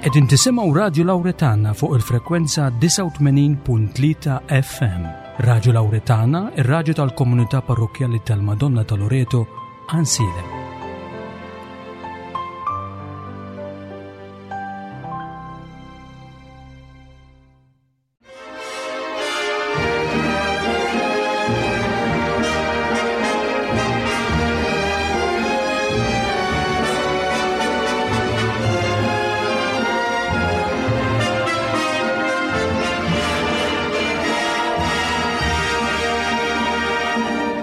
Qegħdin tisimgħu Radju Lawretana fuq il-frekwenza 89.3 FM. Radju Lawretana, ir-radju tal-komunità parrokkjali tal-Madonna ta' Loreto, Ansilem.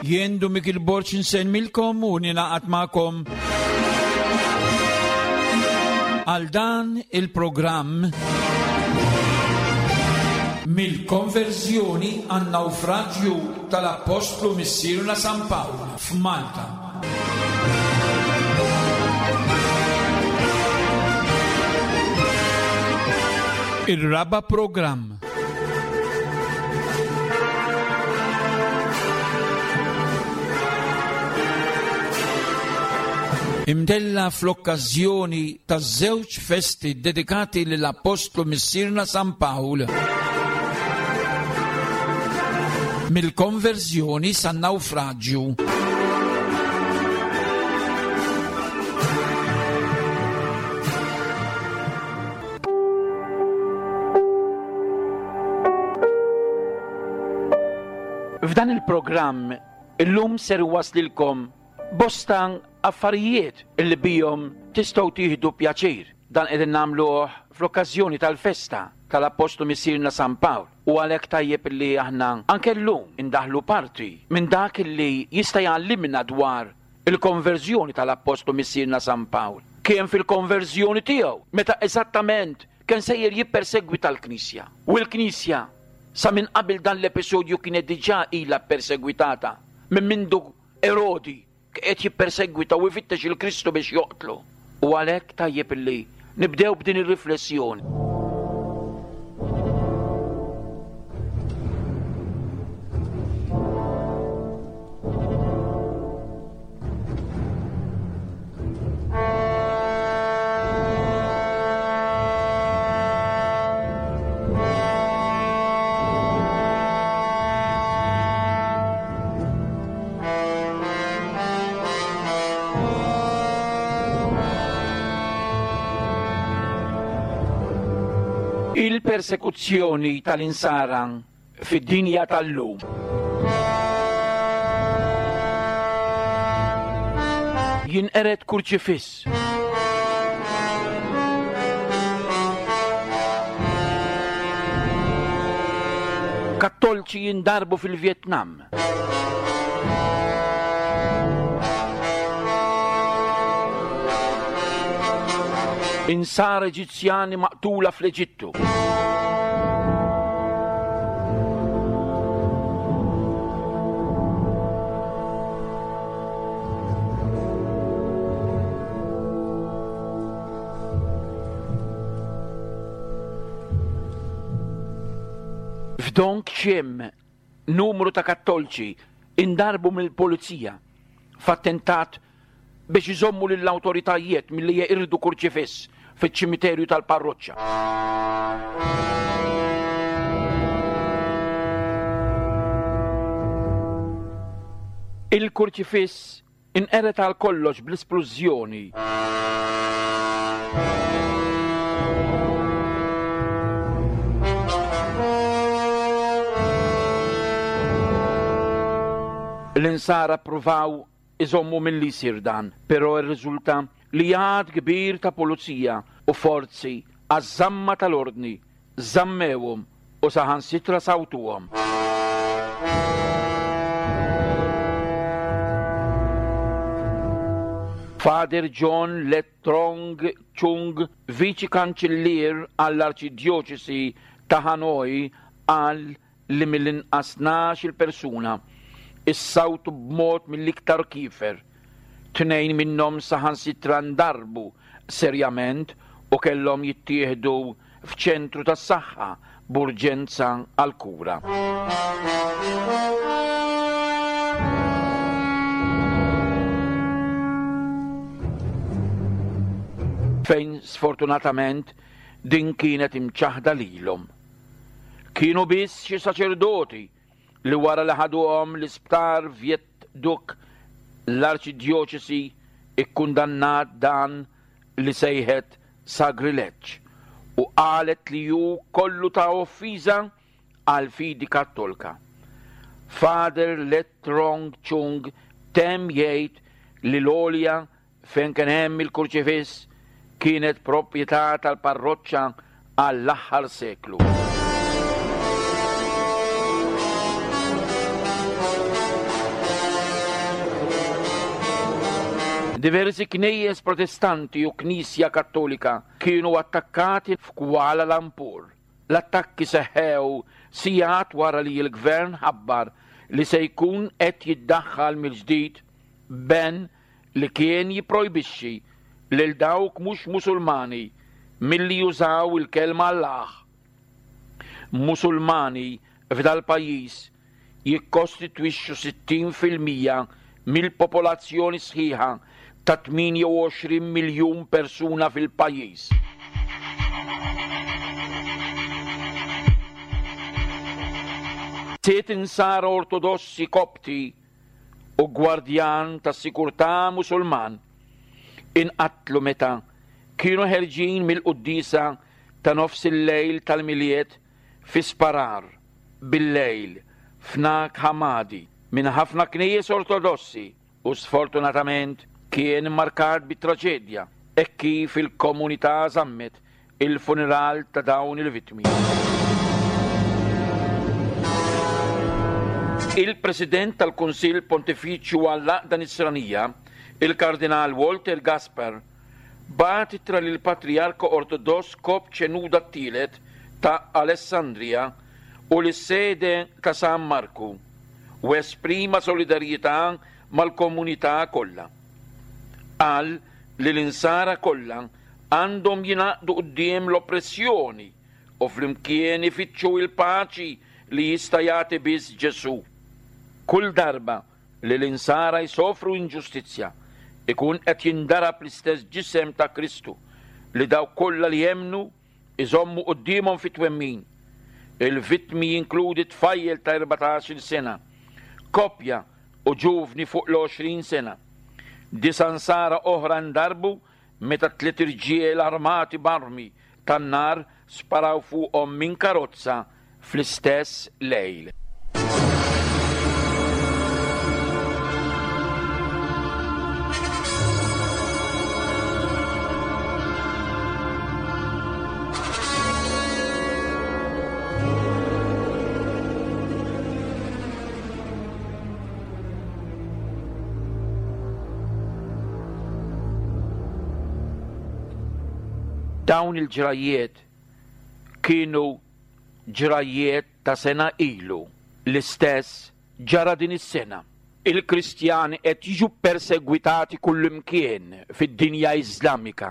Jien Dumik il-Borċ nsemmilkom u ninaqat magħkom għal dan il-programm mill-konverżjoni għan-nawfraġju tal-Appostlu Missierna San Pawl f'Malta. Ir-raba' programm. Imtella' fl-okkażjoni taż-żewġ festi ddedikati lill-Appostlu Missierna San Pawl. Mill-konverżjoni san-nawfraġju. F'dan il-programm illum ser waslilkom bosta affarijiet li bihom tistgħu tieħdu pjaċir. Dan qegħdin nagħmluh fl-okkażjoni tal-festa tal-Appostlu Missierna San Pawl u għalhekk tajjeb li aħna anke llum indaħħlu parti minn dak li jista' jgħallimna dwar il-konverżjoni tal-Appostlu Missierna San Pawl. Kien fil-konverżjoni tiegħu meta eżattament kien sejjer jippersegwita l-Knisja. U l-Knisja sa minn qabel dan l-episodju kienet diġà ilha ppersegwitata minn mindu Erodi qed jippersegwita u jfittex il-Kristu biex joqtlu. U għalhekk tajjeb illi nibdew b'din ir-riflessjoni. Il-persekuzzjoni tal-insara fid-dinja tal-lum. Jinqered kurċifiss. Kattolċi jindarbu fil-Vjetnam. Insara Eġizzjani maqtula fl-Eġittu. F'Dong Chim, numru ta' Kattolċi indarbu mill-pulizija f'attentat biex iżommu lill-awtoritajiet milli jeqirdu kurċifiss fiċ-ċimiterju tal-parroċċa. Il-kurċifiss inqered għal kollox bl-isplużjoni. L-insara ppruvaw iżommu milli jsir dan, però rriżulta li għadd kbir ta' pulizija u forzi għaż-żamma tal-ordni żammewhom u saħansitra sawtuhom. Father John Le Trong Chung, Viċi Kanċillier għall-Arċidjoċesi ta' Hanoi qal li mill-inqas tnax-il persuna issawtu b'mod mill-iktar kiefer. Tnejn minnhom saħansitra ndarbu serjament u kellhom jittieħdu f'ċentru tas-saħħa b'urġenza għall-kura. Fejn sfortunatament. Din kienet imċaħħda lilhom. Kienu biss xi saċerdoti li wara li ħaduhom l-isptar Viet Duc l-Arċidjoċesi ikkundannat dan li sejħet sagrileġġ u qalet li hu kollu ta' offiża għall-fidi Kattolka. Father Le Trong Chung temm jgħid li l-għolja fejn kien hemm il-kurċifiss kienet proprjetà tal-parroċċa għall-aħħar seklu. Diversi knejjes Protestanti u knisja Kattolika kienu attakkati f'Kuala Lumpur. L-attakki seħħew sigħat wara li l-Gvern ħabbar li se jkun qed jiddaħħal mill-ġdid ban li kien jipprojbixxi lil dawk mhux Musulmani milli jużaw il-kelma Allah. Musulmani f'dal-pajjiż jikkostitwixxu 60 fil-mija mill-popolazzjoni sħiħa ta' 28 miljun persuna fil-pajjiż. Sitt Insara Ortodossi Kopti u gwardjan tas-sikurtà Musulman inqatlu meta kienu ħerġin mill-quddiesa ta' nofsillejl tal-Milied fi sparar bil-lejl f'Nag Hammadi minn ħafna knejjes Ortodossi u sfortunatament kien immarkat bi traġedja hekk kif il-komunità żammet il-funeral ta' dawn il-vittmi. Il-President tal-Kunsill Pontifiċju għall-Għaqda Nisranija, il-Kardinal Walter Gasper, bagħat ittra lill-Patrijarka Ortodoss Kopt Xenuda t-Tielet ta' Alessandria u lis-Sede ta' San Marku u esprima solidarjetà mal-komunità kollha. Qal li l-Insara kollha għandhom jingħaqdu quddiem l-oppressjoni u flimkien ifittxu l-paċi li jista' jagħti biss Ġesù. Kull darba li l-Insara jsofru inġustizzja, ikun qed jindarab l-istess ġisem ta' Kristu li dawk kollha li jemmnu iżommu quddiemhom fit-twemmin. Il-vittmi jinkludi tfajjel ta' 14-il sena, koppja u ġuvni fuq l-20 sena. Disa' Nsara oħra ndarbu meta tliet irġiel armati b'armi tan-nar sparaw fuqhom minn karozza fl-istess lejl. Dawn il-ġrajjiet kienu ġrajjiet ta' sena ilu. L-istess ġara din is-sena. Il-Kristjani qed jiġu ppersegwitati kullimkien fid-dinja Iżlamika.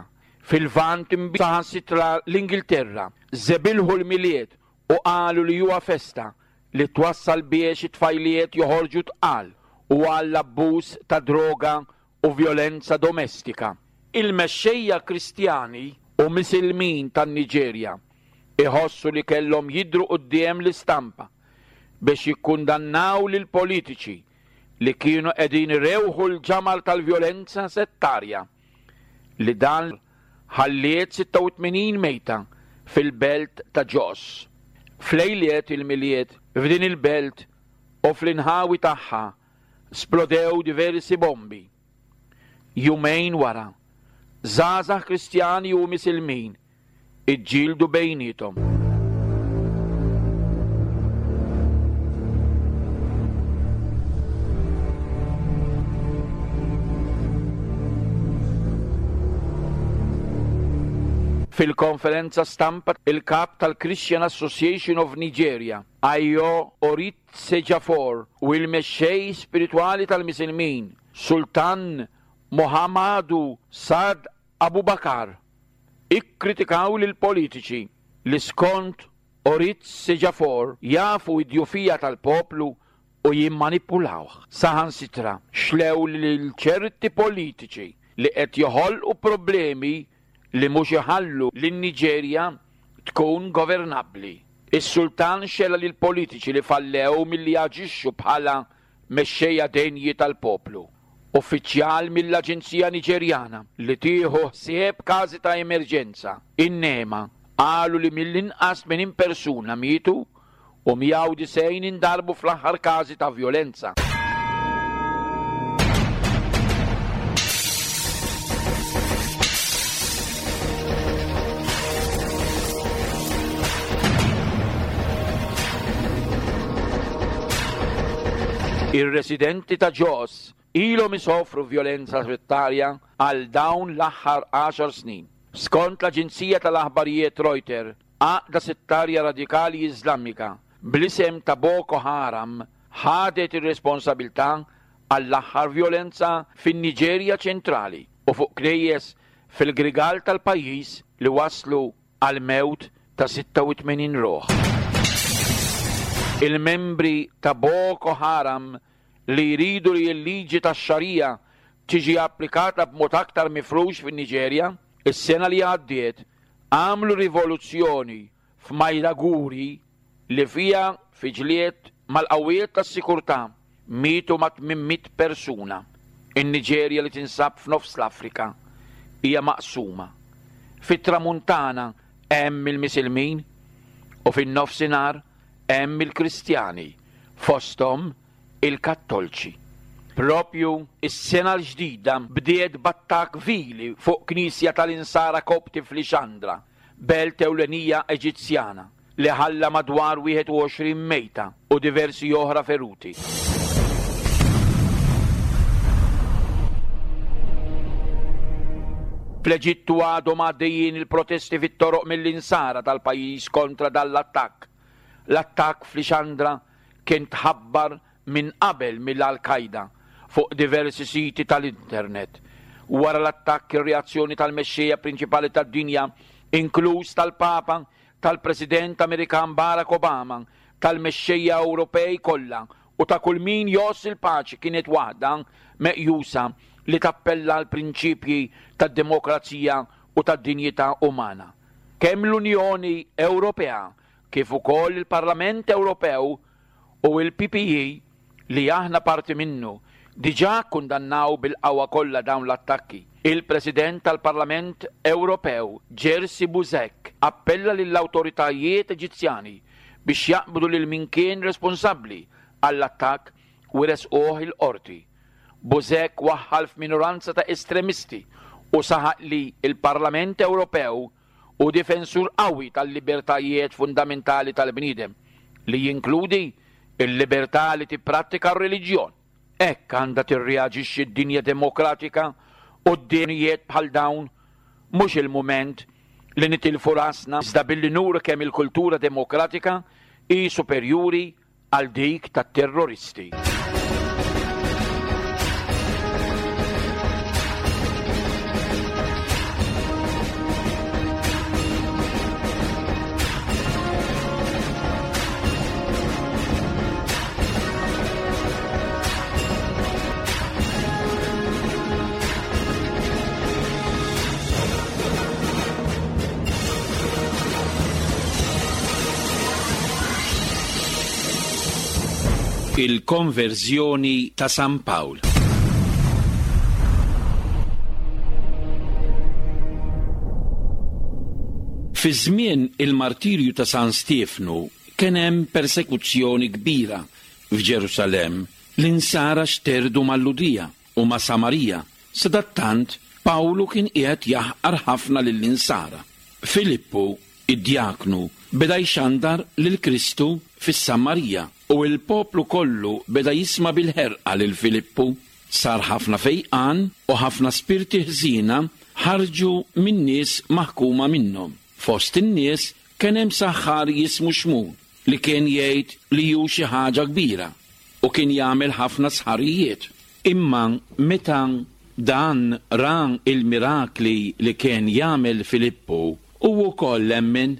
Fil-Lvant saħansitra l-Ingilterra żebilħu l-Milied u qalu li huwa festa li twassal biex it-tfajliet joħorġu tqal u għall-abbuż ta' droga u vjolenza domestika. Il-mexxejja Kristjani u Misilmin tan-Niġerja iħossu li kellhom jidhru quddiem l-istampa biex jikkundannaw lill-politiċi li kienu qegħdin irewħu l-ġamar tal-vjolenza settarja li dan ħalliet 86 mejta fil-belt ta' Jos. F'lejliet il-Milied f'din il-belt u fl-inħawi tagħha splodew diversi bombi. Jumejn wara, żgħażagħ Kristjani u Misilmin iġġieldu bejniethom. Fil-konferenza stampa il-kap tal-Christian Association of Nigeria, Ayo Oritsejafor u l-mexxej spiritwali tal-Misilmin, Sultan Mohamadu Saad Abubakar, ikkritikaw lill-politiċi li skont Oritsejafor jafu d-djufija tal-poplu u jimmanipulawh. Saħansitra xlew lil ċerti politiċi li qed joħolqu problemi li mhux iħallu lin-Niġerja tkun governabbli. Is-Sultan xela lill-politiċi li fallew milli jaġixxu bħala mexxejja denji tal-poplu. Uffiċjal mill-aġenzija Niġerjana li tieħu ħsieb każi ta' emerġenza, in-NEMA, qalu li mill-inqas 80 persuna mietu u 190 indarbu fl-aħħar każi ta' vjolenza. Ir-residenti ta' Jos ilhom isofru vjolenza settarja għal dawn l-aħħar għaxar snin. Skont l-aġenzija tal-aħbarijiet Reuter, Għaqda settarja radikali Iżlamika bl-isem ta' Boko Haram ħadet ir-responsabilità għall-aħħar vjolenza fin-Niġerja ċentrali u fuq knejjes fil-Grigal tal-pajjiż li wasslu għall-mewt ta' 86 ruħ. Il-membri ta' Boko Haram li jridu li l-liġi tax-Sharia tiġi applikata b'mod aktar mifrux fin-Niġerja, is-sena li għaddiet għamlu rivoluzzjoni f'Maiduguri li fiha fi ġlied mal-qawwiet tas-sikurtà mietu mat-800 persuna. In-Niġerja li tinsab f'nofs l-Afrika hija maqsuma. Fit-Tramuntana hemm il-Misilmin u fin-Nofsinhar hemm il-Kristjani, fosthom il-Kattolċi. Propju s-sena l-ġdida bdiet b'attakk vili fuq knisja tal-Insara Kopti f'Lixandra, belt ewlenija Eġizzjana, li ħalla madwar 21 mejta u diversi oħra feruti. Fl-Eġittu għadhom għaddejjin il-protesti fit-toroq mill-Insara tal-pajjiż kontra dan l-attakk. L-attakk f'Lixandra kien tħabbar minn qabel mill-Al Qaida fuq diversi siti tal-internet. Wara l-attakk ir-reazzjoni tal-mexxejja prinċipali tad-dinja, inkluż tal-Papa, tal-President Amerikan Barack Obama, tal-mexxejja Ewropej kollha u ta' kull min jgħożż il-paċi kienet waħda meqjusa li tappella għall-prinċipji tad-demokrazija u tad-dinjità umana. Kemm l-Unjoni Ewropea kif ukoll il-Parlament Ewropew u l-PPE li aħna parti minnu diġà kkundannaw bil-qawwa kollha dawn l-attakki. Il-President tal-Parlament Ewropew Jerzy Buzek appella lill-awtoritajiet Eġizzjani biex jaqbdu lil min kien responsabbli għall-attakk u jressquh il-qorti. Buzek waħħal f'minoranza ta' estremisti u saħaq li l-Parlament Ewropew Hu difensur qawwi tal-libertajiet fundamentali tal-bniedem, li jinkludi l-libertà li tipprattika r-reliġjon. Hekk għandha tirreaġixxi d-dinja demokratika quddiem azzjonijiet bħal dawn. Mhux il-mument li nitilfu rasna iżda billi nuru kemm il-kultura demokratika hi superjuri għal dik tat-terroristi. Il-konverżjoni ta' San Pawl. Fi żmien il-martirju ta' San Stiefnu kien hemm persekuzzjoni kbira f'Ġerusalemm. L-Insara xterdu mal-Lhudija u ma' Samarija. Sadattant, Pawlu kien qiegħed jaħqar ħafna lill-Insara. Filippu, id-djaknu, beda jxandar lil Kristu fis-Samarija, u l-poplu kollu beda jisma' bil-ħerqa lil Filippu. Sar ħafna fejqan u ħafna spirti ħżiena ħarġu min-nies maħkuma minnhom. Fost in-nies kien hemm saħħar jismu Xmun, li kien jgħid li hu xi ħaġa kbira u kien jagħmel ħafna sħarijiet. Imma meta dan ra l-mirakli li kien jagħmel Filippu, hu wkoll emmen.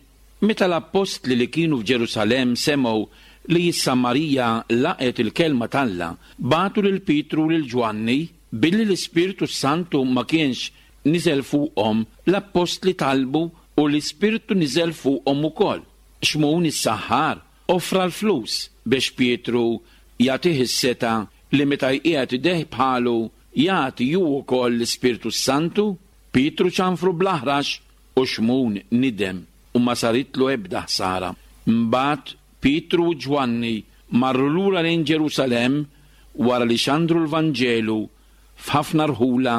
Meta l-appostli li kienu f'Ġerusalemm semgħu li s-Samarija laqgħet il-kelma t'Alla, bagħtu lil Pietru u lil Ġwanni, billi l-Ispirtu s-Santu ma kienx. niżel fuqhom, l-appostli talbu u l-Ispirtu niżel fuqhom ukoll. Xmun is-saħħar offra l-flus biex Pietru jagħtih is-setgħa li meta jqiegħed idejh bħalu jagħti hu wkoll l-Ispirtu s-Santu. Pietru ċanfru bl-aħrax u Xmun nidem u ma saritlu ebda ħsara. Mbagħad Pietru u Ġwanni marru lura lejn Ġerusalemm wara li xandru l-Vanġelu f'ħafna rħula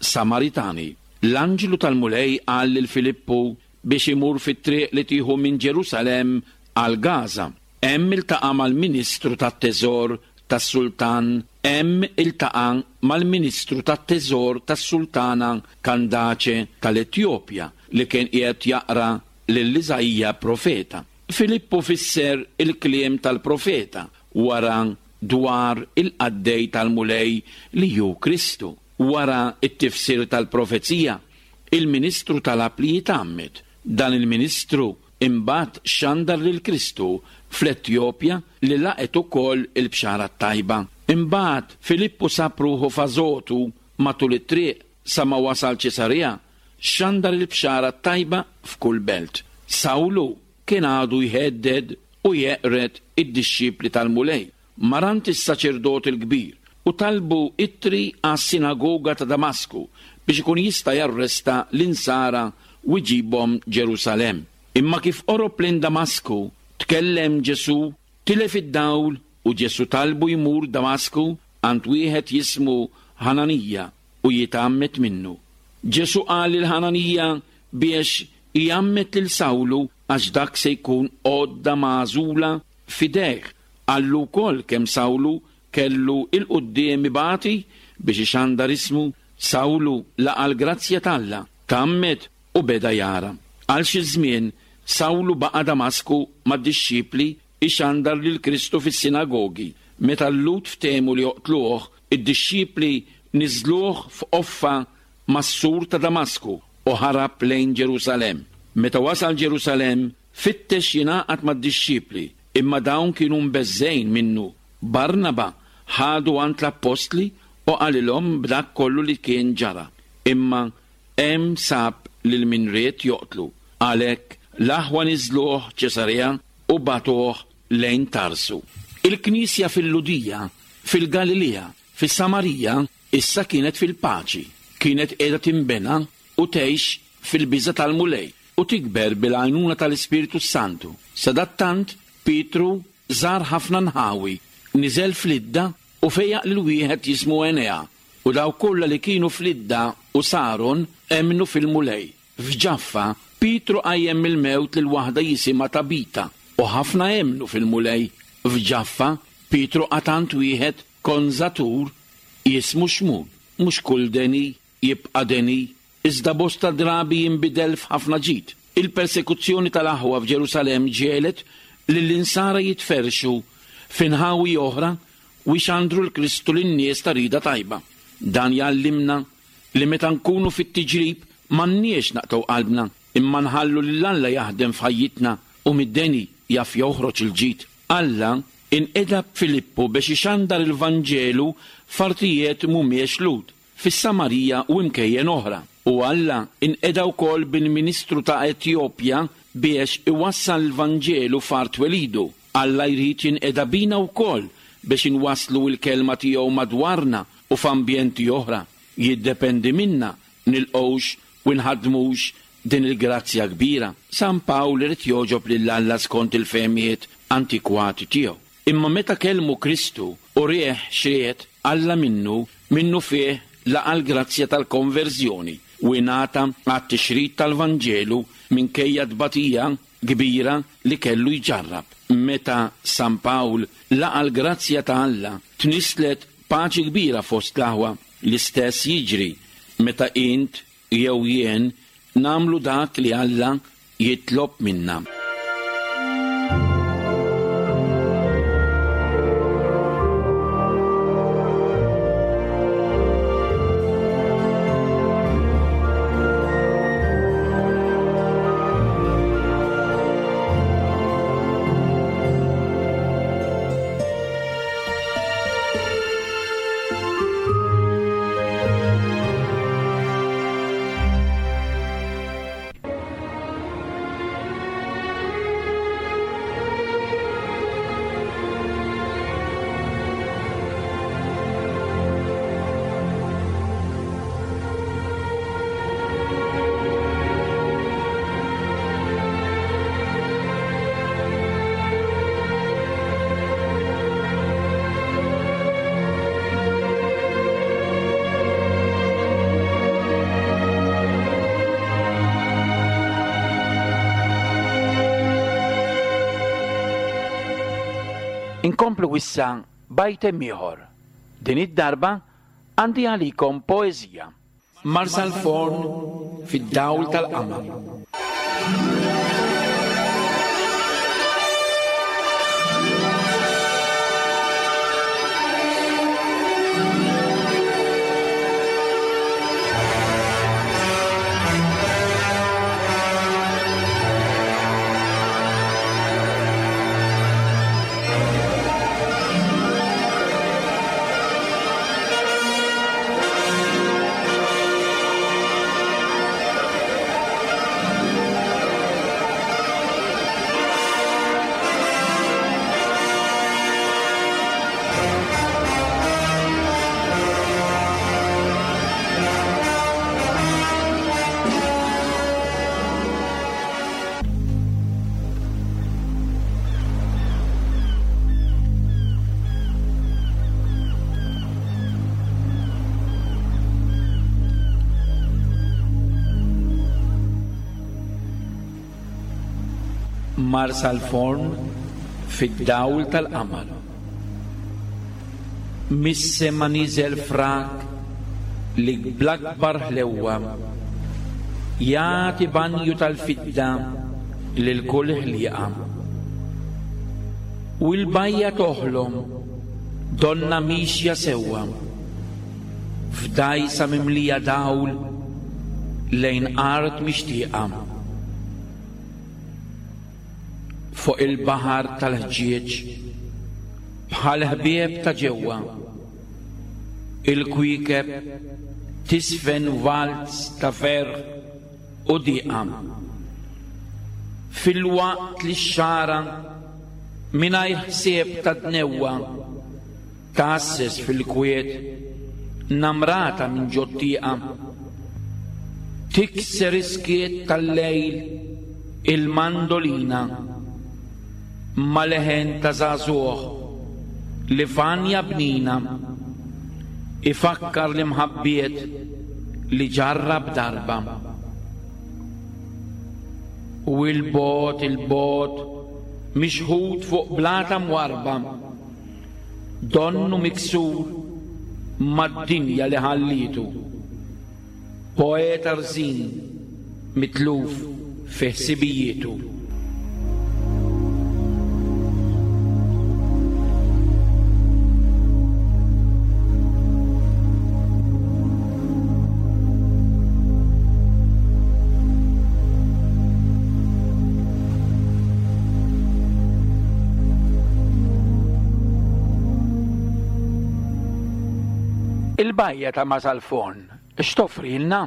Samaritani. L-anġlu tal-Mulej qal lil Filippu biex imur fit-triq li tieħu minn Ġerusalemm għal Gaża. Hemm iltaqa' mal-ministru tat-teżor tas-sultan Hemm iltaqa' mal-ministru tat-teżor tas-sultana Kandaċe tal-Etjopja li kien qiegħed jaqra lil Iżaija profeta. Filippu fisser il-kliem tal-profeta wara dwar il-qaddej tal-Mulej li hu Kristu. Wara t-tifsir tal-profezija, il-ministru talab li jitgħammed. Dan il-ministru imbagħad xandar lil Kristu fl-Etjopja li laqgħet ukoll il-bxara t-tajba. Imbagħad Filippu sab ruħu f'Ażotu matul it-triq sa ma wasal Ċesarea, xandar il-bxara t-tajba f'kull belt. Sawlu kien għadu jhedded u jeqred id-dixxipli tal-Mulej. Mar għand is-saċerdot il-kbir u talbu ittri għas-sinagoga ta' Damasku biex ikun jista' jarresta l-Insara u jġibhom Ġerusalemm. Imma kif qorob lejn Damasku, tkellem Ġesù, tilef id-dawl u Ġesù talbu jmur Damasku għand wieħed jismu Ħananija u jitgħammed minnu. Ġesù qal lil Ħananija biex igħammed lil Sawlu għax dak se jkun għodda magħżula f'idejh. Qallu wkoll kemm Sawlu kellu 'l quddiem ibati biex ixandar ismu. Sawlu laqa' l-grazzja t'Alla, tgħammed u beda jara. Għal xi żmien, Sawlu baqa' Damasku mad-dixxipli ixandar lil Kristu fis-sinagogi. Meta l-Lhud ftehmu li joqtluh, id-dixxipli niżżluh f'qoffa mas-sur ta' Damasku u ħarab lejn Ġerusalemm. Meta wasal Ġerusalemm, fittex jingħaqad mad-dixxipli, imma dawn kienu mbeżżgħin minnu. Barnaba ħadu għand l-appostli u qalilhom b'dak kollu li kien ġara. Imma hemm sab lil min ried joqtlu. Għalhekk, l-aħwa niżżluh Ċesarea u bagħtuh lejn Tarsu. Il-Knisja fil-Lhudija, fil-Galilea, fis-Samarija issa kienet fil-paċi, kienet qiegħda tinbena u tgħix fil-biża' tal-Mulej u tikber bil-għajnuna tal-Ispirtu s-Santu. Sadattant, Pietru żar ħafna nħawi, niżel f'Lidda u fejjaq lil wieħed jismu Enea, u dawk kollha li kienu f'Lidda u Saron emmnu fil-Mulej. F'Ġaffa, Pietru qajjem mill-mewt lil waħda jisimha Tabita, u ħafna emmnu fil-Mulej. F'Ġaffa, Pietru qagħad għand wieħed konżatur jismu Xmun. Mhux kull deni jibqa' deni, iżda bosta drabi jinbidel f'ħafna ġid. Il-persekuzzjoni tal-aħwa f'Ġerusalemm ġiegħlet lill-Insara jitferrxu fi nħawi oħra u jxandru l-Kristu lin-nies ta' rieda tajba. Dan jgħallimna li meta nkunu fit-tiġrib m'għandniex naqtgħu qalbna, imma nħallu lil Alla jaħdem f'ħajjitna u mid-deni jaf joħroġ il-ġid. Alla inqeda b'Filippu biex ixandar il-Vanġelu f'artijiet mhumiex Lhud, fis-Samarija u imkejjen oħra. U Alla inqeda wkoll bil-ministru ta' Etjopja biex iwassal il-Vanġelu f'art twelidu. Alla jrid jinqeda bina wkoll biex inwasslu l-Kelma tiegħu madwarna u f'ambjenti oħra. Jiddependi minna nilqgħux u nħaddmux din il-grazzja kbira. San Pawl irid jogħġob lil Alla skont il-fehmiet antikwati tiegħu. Imma meta kellmu Kristu u rieh x'ried Alla minnu, minnufih laqa' l-grazzja tal-konverżjoni u ingħata għat-tixrid tal-Vanġelu minkejja t-tbatija kbira li kellu jġarrab. Meta San Pawl laqa' l-grazzja ta' Alla, tnisslet paċi kbira fost l-aħwa. L-istess jiġri meta int jew jien nagħmlu dak li Alla jitlob minna. Inkomplu issa b'ajtem ieħor. Din id-darba għandi għalikom poeżija. Marsalforn fid-dawl tal-qamar. Marsalforn fid-dawl tal-qamar. Mis-sema niżel frak li bl-akbar ħlewwa jagħti banju tal-fidda lil kull ħlieqa. U l-bajja toħlom donnha mixja sewwa f'dgħajsa mimlija dawl lejn art mixtieqa. Fuq il-baħar tal-ħġieġ bħal ħbieb ta' ġewwa. Il-kwiekeb tisfen walz ta' ferħ u diqa. Filwaqt li x-xagħra mingħajr ħsieb ta' dnewwa tgħasses fil-kwiet namrata minn ġot-tieqa. Tikser is-skiet tal-lejl il-mandolina ma' leħen ta' żagħżugħ li f'għanja bnina ifakkar l-imħabbiet li ġarrab darba. U 'l bogħod 'il bogħod mixħut fuq blata mwarrba donnu miksur mad-dinja li ħallietu. Poeta rżin mitluf fi ħsibijietu. Il-bajja ta' Masalfon x'toffrilna?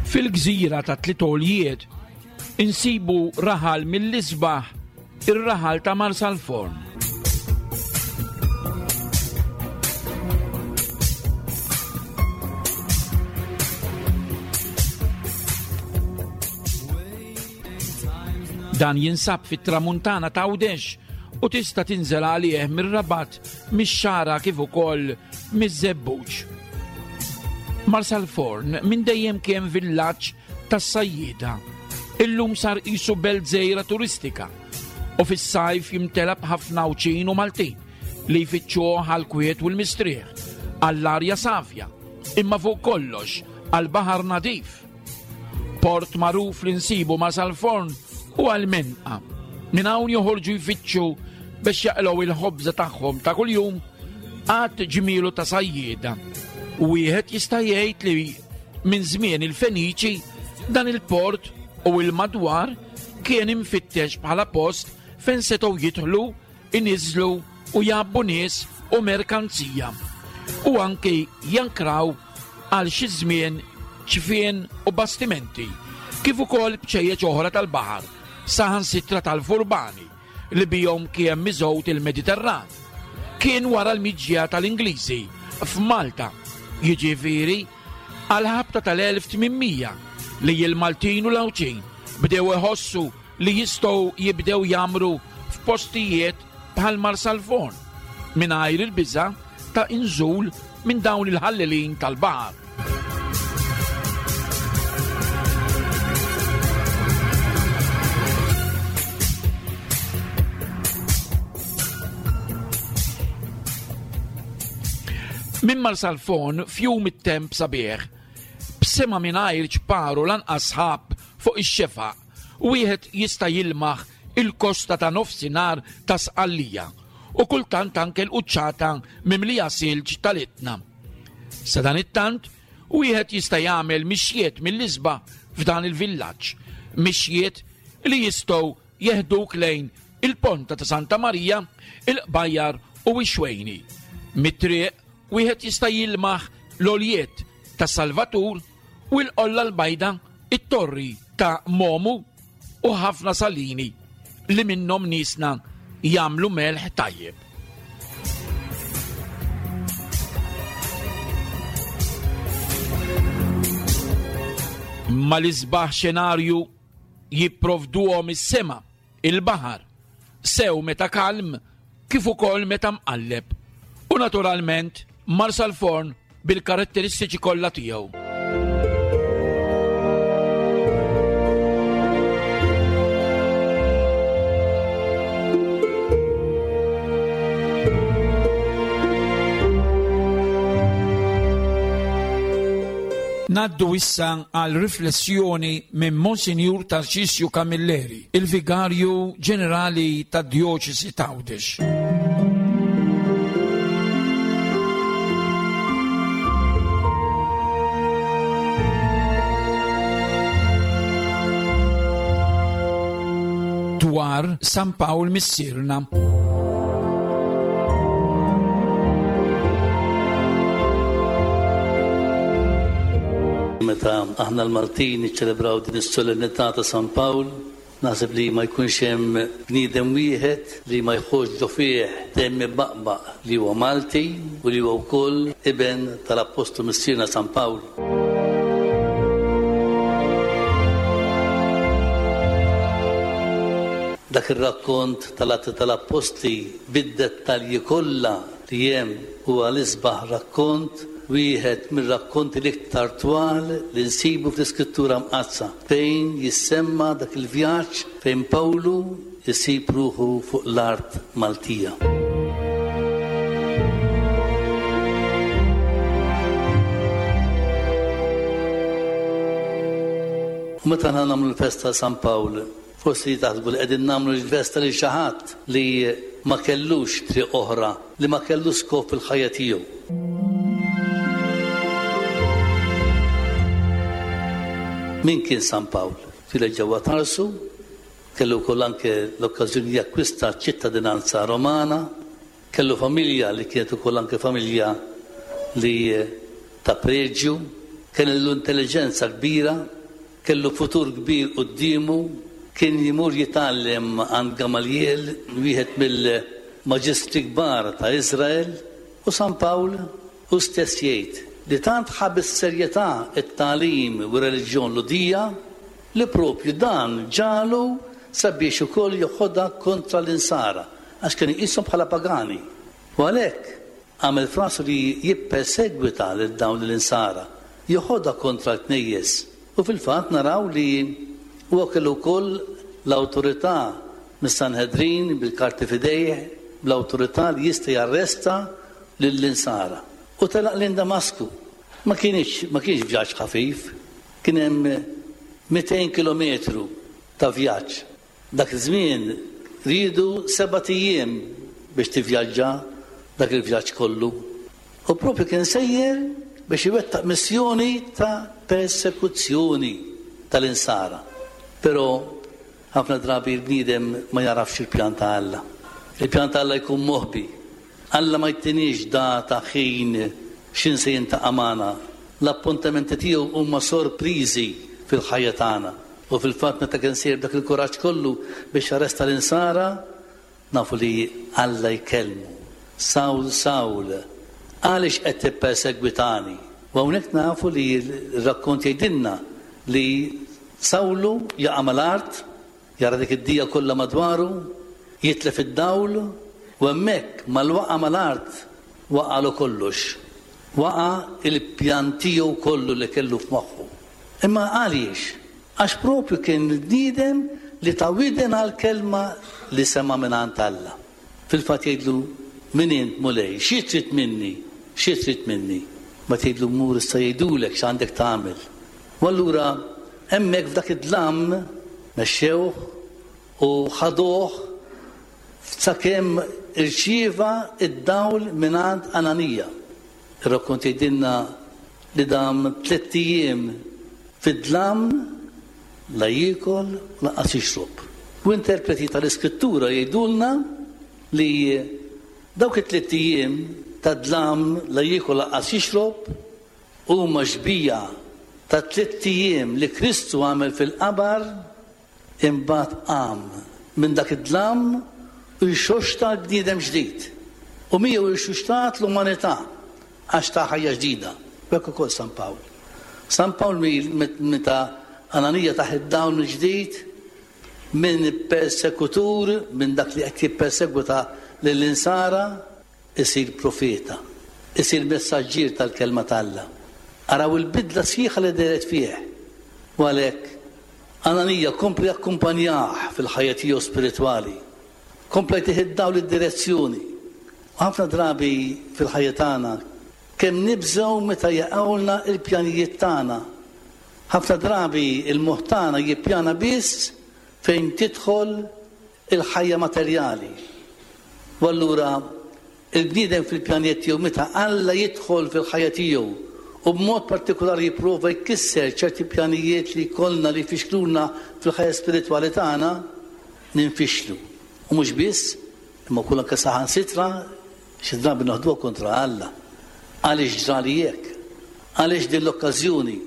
Fil-gżira ta' Tliet Għoljiet insibu raħal mill-isbaħ ir-raħal ta' Marsalforn. Dan jinsab fit-tramuntana ta' Għawdex u tista' tinżel għalih mir-Rabat, mix-Xagħra kif ukoll miż-Żebbuġ. Marsalforn minn dejjem kien villaġġ tas-sajjieda. Illum sar qisu belt żgħira turistika u fis-sajf jimtela b'ħafna Għawdxin u Maltin li jfittxuh għall-kwiet u l-mistrieħ, għall-arja safja, imma fuq kollox għall-baħar nadif. Port magħruf li nsibu ma' Salforn u għal-Menqa. Minn hawn joħorġu jfittxu biex jaqilgħu il-ħobża tagħhom ta' kuljum għad ġmielu ta' sajjieda. Wieħed jista' jgħid li minn żmien il-Feniċi dan il-port u il-madwar kien imfittex bħala post fejn setgħu jidħlu iniżżlu u jgħabbu nies u merkanzija u anki jankraw għal xi żmien ċfien u bastimenti, kif ukoll bċejjeċ oħra tal-baħar, saħansitra tal-furbani li bihom kien miżgħud il-Mediterran. Kien wara l-miġja tal-Ingliżi f'Malta, jiġifieri għall-ħabta tal-1800 li l-Maltin u l-Għawdxin bdew iħossu li jistgħu jibdew jgħammru f'postijiet bħal Marsalforn mingħajr il-biża' ta' inżul minn dawn il-ħallelin tal-baħar. Minn Marsalforn f'jum it-temp sabiħ, b'sema mingħajr ċpar u lanqas sħab fuq ix-xefaq, wieħed jista' jilmaħ il-kosta ta' nofsinhar ta' Sqallija u kultant anke l-quċċata mimlija silġ tal-Etna. Sadanittant, wieħed jista' jagħmel mixjiet mill-isbaħ f'dan il-villaġġ, mixjiet li jistgħu jeħduk lejn il-Ponta ta' Santa Marija, il-Qbajjar u x-Xwejni. Mit-triq wieħed jista' jilmaħ l-għoljiet ta' Salvatur u l-Qolla l-Bajda, it-Torri ta' Momu u ħafna salini li minnhom niesna jagħmlu melħ tajjeb. Ma l-isbaħ xenarju jipprovduhom is-sema, il-baħar, sew meta kalm kif ukoll meta mqalleb. U naturalment Marsalforn bil-karatteristiċi kollha tiegħu. Ngħaddu issa għal riflessjoni minn Monsinjur Tarċisju Camilleri, il-Vigarju Ġenerali tad-Djoċesi t'Għawdex. Dwar San Pawl Missierna. Meta aħna l-Maltin niċċelebraw din is-solennità ta' San Pawl, Naħseb li ma jkunx hemm bniedem wieħed li ma jħossx ġo fih demm ibaqbaq li huwa Malti u li huwa wkoll iben tal-Appostlu Missierna San Pawl. Dak ir-rakkont tal-Atti tal-Appostli bid-dettalji kollha li hemm huwa l-isbaħ rakkont, wieħed mir-rakkonti l-iktar twal li nsibu fl-Iskrittura Mqaddsa, fejn jissemma dak il-vjaġġ fejn Pawlu jsib ruħu fuq l-art Maltija. U meta aħna nagħmlu l-festa ta' San Pawl, Forsi taħsbu li qegħdin nagħmlu l-festa lil xi ħadd li ma kellux triq oħra, li ma kellux skop fil-ħajja tiegħu. Min kien San Pawl? Twieled ġewwa Tarsu, kellu wkoll anke l-okkażjoni jakkwista ċ-ċittadinanza Romana, kellu familja li kienet ukoll anke familja li ta' preġju, kellu intelliġenza kbira, Kellu futur kbir quddiemu, kien imur jitgħallem għand Gamaljel, wieħed mill-maġistri kbar ta' Iżrael, u San Pawl hu stess jgħid li tant ħa bis-serjetà t-tagħlim u r-reliġjon Lhudija li proprju dan ġagħlu sabiex ukoll joħodha kontra l-Insara għax kien iqishom bħala pagani. U għalhekk Għamel f'rasu li jippersegwita lil dawn l-Insara, joħodha kontra l-knejjes, u fil-fatt naraw li huwa kellu wkoll l-awtorità mis-Sanhedrin bil-karti f'idejh, bl-awtorità li jista' jarresta lill-Insara. U telaq lejn Damasku. Ma kinitx, ma kienx vjaġġ ħafif, kien hemm 200 kilometru ta' vjaġġ. Dak iż-żmien riedu sebat ijiem biex tivvjaġġa dak il-vjaġġ kollu. U proprju kien sejjer biex iwettaq missjoni ta' persekuzzjoni tal-Insara. Però ħafna drabi l-bniedem ma jagħrafx il-pjan ta' Alla. Il-pjan ta' Alla jkun moħbi. Alla ma jtiniex data, ħin, x'ħin se jiltaqa' magħna. L-appuntamenti tiegħu huma sorpriżi fil-ħajja tagħna. U fil-fatt meta kien sejjer b'dak il-kuraġġ kollu biex jarresta l-Insara, nafu li Alla jkellmu, Sawl, Sawl, għaliex qed tippersegwitani? U hawnhekk nafu li r-rakkont jgħidilna li Sawlu jaqa' mal-art, jara dik id-dija kollha madwaru, jitlef id-dawl, u hemmhekk mal-waqgħa mal-art. Waqagħlu kollox. Waqa' il-pjan tiegħu kollu li kellu f'moħħu. Imma għaliex? Għax propju kien il-bniedem li ta widen għall-kelma li sema' mingħand Alla. Fil-fatt jgħidlu, Min int, Mulej? Xi trid minni? Xi trid minni? Mbagħad jgħidlu, Mur issa jgħidulek x'għandek tagħmel. U allura hemmhekk f'dak id-dlam mexxewh u ħaduh sakemm irċieva d-dawl mingħand Ananija. Ir-rakkont jgħidilna li dam tlett ijiem fid-dlam la jiekol u lanqas jixrob. U interpreti tal-Iskrittura jgħidulna li dawk it-tlett ijiem ta' dlam la jiekol lanqas jixrob huma xbieha tat-tlett ijiem li Kristu għamel fil-qabar Imbagħad qam minn dak id-dlam u rxoxta l-bniedem ġdid, u miegħu rxuxtat l-umanità għax ta ħajja ġdida. U hekk ukoll San Pawl. San Pawl meta Ananija tah id-dawl mill-ġdid, minn persekutur, minn dak li qed jippersegwita lill-insara, Isir profeta. Isir messaġġier tal-Kelma t'Alla. Araw il-bidla sħiħa li dehret fih. U għalhekk, Ananija kompla jakkumpanjah fil-ħajja tiegħu spiritwali. Kompla jtih id-dawl id-direzzjoni. U ħafna drabi fil-ħajja tagħna, kemm nibżgħu meta jaqgħulna l-pjanijiet tagħna. Ħafna drabi l-moħħ tagħna jippjana biss fejn tidħol il-ħajja materjali. U allura il-bniedem fil-pjanijiet tiegħu meta Alla jidħol fil-ħajja tiegħu u b'mod partikulari jipprova jkisser ċerti pjanijiet li jkollna li jfixkluna fil-ħajja spiritwali tagħna, ninfixlu. U mhux biss, imma wkoll anke saħansitra xi drabi noħduha kontra Alla. Għaliex ġrali hekk? Għaliex din l-okkażjoni?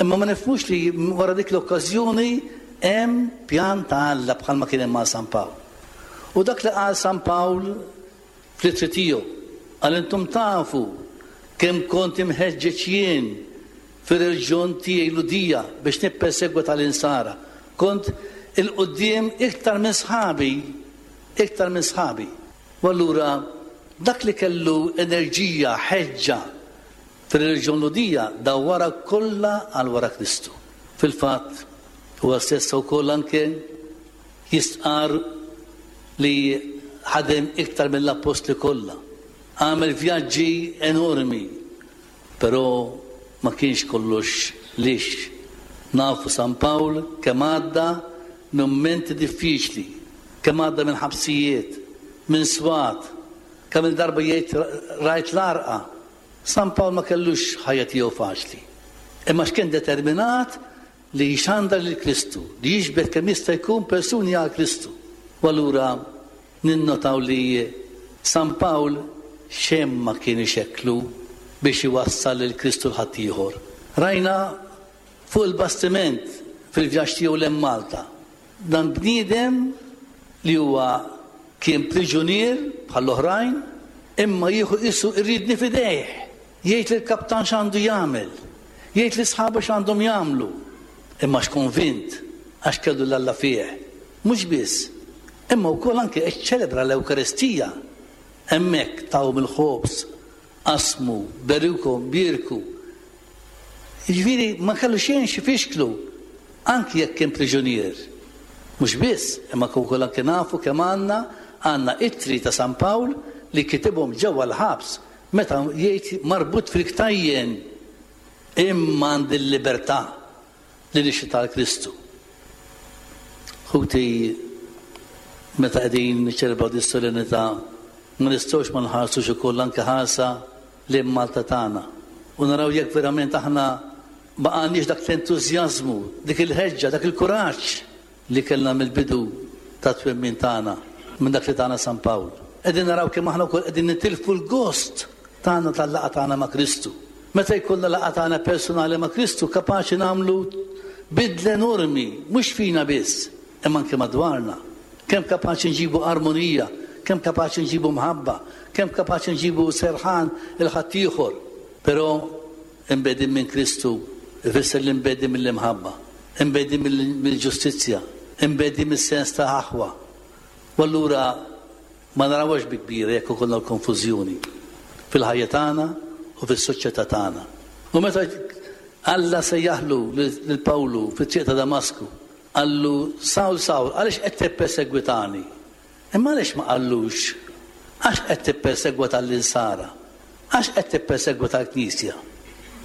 Imma ma nifhmux li wara dik l-okkażjoni hemm pjan ta' Alla bħalma kien hemm għal San Pawl. U dak li qal San Pawl fl-ittri tiegħu, qal intom tafu kemm kont imħeġġeġ jien fir-reliġjon tiegħi Lhudija biex nippersegwita l-insara. Kont 'il quddiem iktar minn sħabi, iktar minn sħabi. U allura dak li kellu enerġija, ħeġġa Fir-reliġjon Lhudija dawwarha kollha għal wara Kristu. Fil-fatt, huwa stess ukoll anke jistqarr li ħadem iktar mill-appostli kollha. Għamel vjaġġi enormi, però ma kienx kollox lixx. Nafu San Pawl kemm għadda minn mumenti diffiċli, kemm għadda minn ħabsijiet, minn swat, kemm-il darba jgħid rajt l-għarqa. San Pawl ma kellux ħajja tiegħu faċli, imma għax kien determinat li jxandar lil Kristu, li jiġbed kemm jista' jkun persuni għal Kristu. U allura ninnotaw li San Pawl xejn ma kien ixekklu biex iwassal lil Kristu 'l ħaddieħor. Rajna fuq il-bastiment fil-vjaġġ tiegħu 'l hemm Malta, Dan bniedem li huwa kien priġunier bħall-oħrajn, imma jieħu qisu r-riedni f'idejh, jgħid lill-kaptan x'għandu jagħmel, jgħid lil sħabu x'għandhom jagħmlu. Imma għax konvint, għax kellu 'l Alla fih. Mhux biss, imma wkoll anke ċċelebra l-Ewkaristija. Hemmhekk tahom il-ħobż, qasmu, berikhom, bierku. Jiġifieri ma kellu xejn x'ifixklu anki jekk kien priġunier. Mhux biss, imma wkoll anki nafu kemm għandna għandna ittri ta' San Pawl li kitibhom ġewwa l-ħabs meta jgħid marbut fil-ktajjen imma għandi l-libertà li nixhed għal Kristu. Ħuti, meta qegħdin niċċelebraw dis-solennità ma nistgħux ma nħarsux ukoll anke ħarsa lejn Malta tagħna u naraw jekk verament aħna baqgħalniex dak l-entużjażmu, dik il-ħeġġa, dak il-kuraġġ li kellna mill-bidu tat-twemmin tagħna, minn dak li tana San Pawl. Qegħdin naraw kemm aħna wkoll qegħdin nitilfu l-gost tagħna tal-laqgħa tagħna ma' Kristu. Meta jkollna laqgħa tagħna personali ma' Kristu kapaċi nagħmlu bidla enormi, mhux fina biss, imma anke madwarna. Kemm kapaċi nġibu armonija, kemm kapaċi nġibu mħabba, kemm kapaċi nġibu serħan 'il ħaddieħor. Però imbegħdin minn Kristu ifisser li mbegħdin mill-imħabba, imbegħdin mill-ġustizzja, imbegħdin mis-sens ta' aħwa. U allura ma narawhiex bi kbira jekk ikollna l-konfużjoni. fil-ħajja tagħna u fis-soċjetà tagħna. U meta Alla sejjaħlu lil Pawlu fit-triq ta' Damasku, qallu, Sawl, Sawl, għaliex qed tippersegwitani? Imma għaliex ma qallux, Għax qed tippersegwita l-Insara? Għax qed tippersegwita l-Knisja?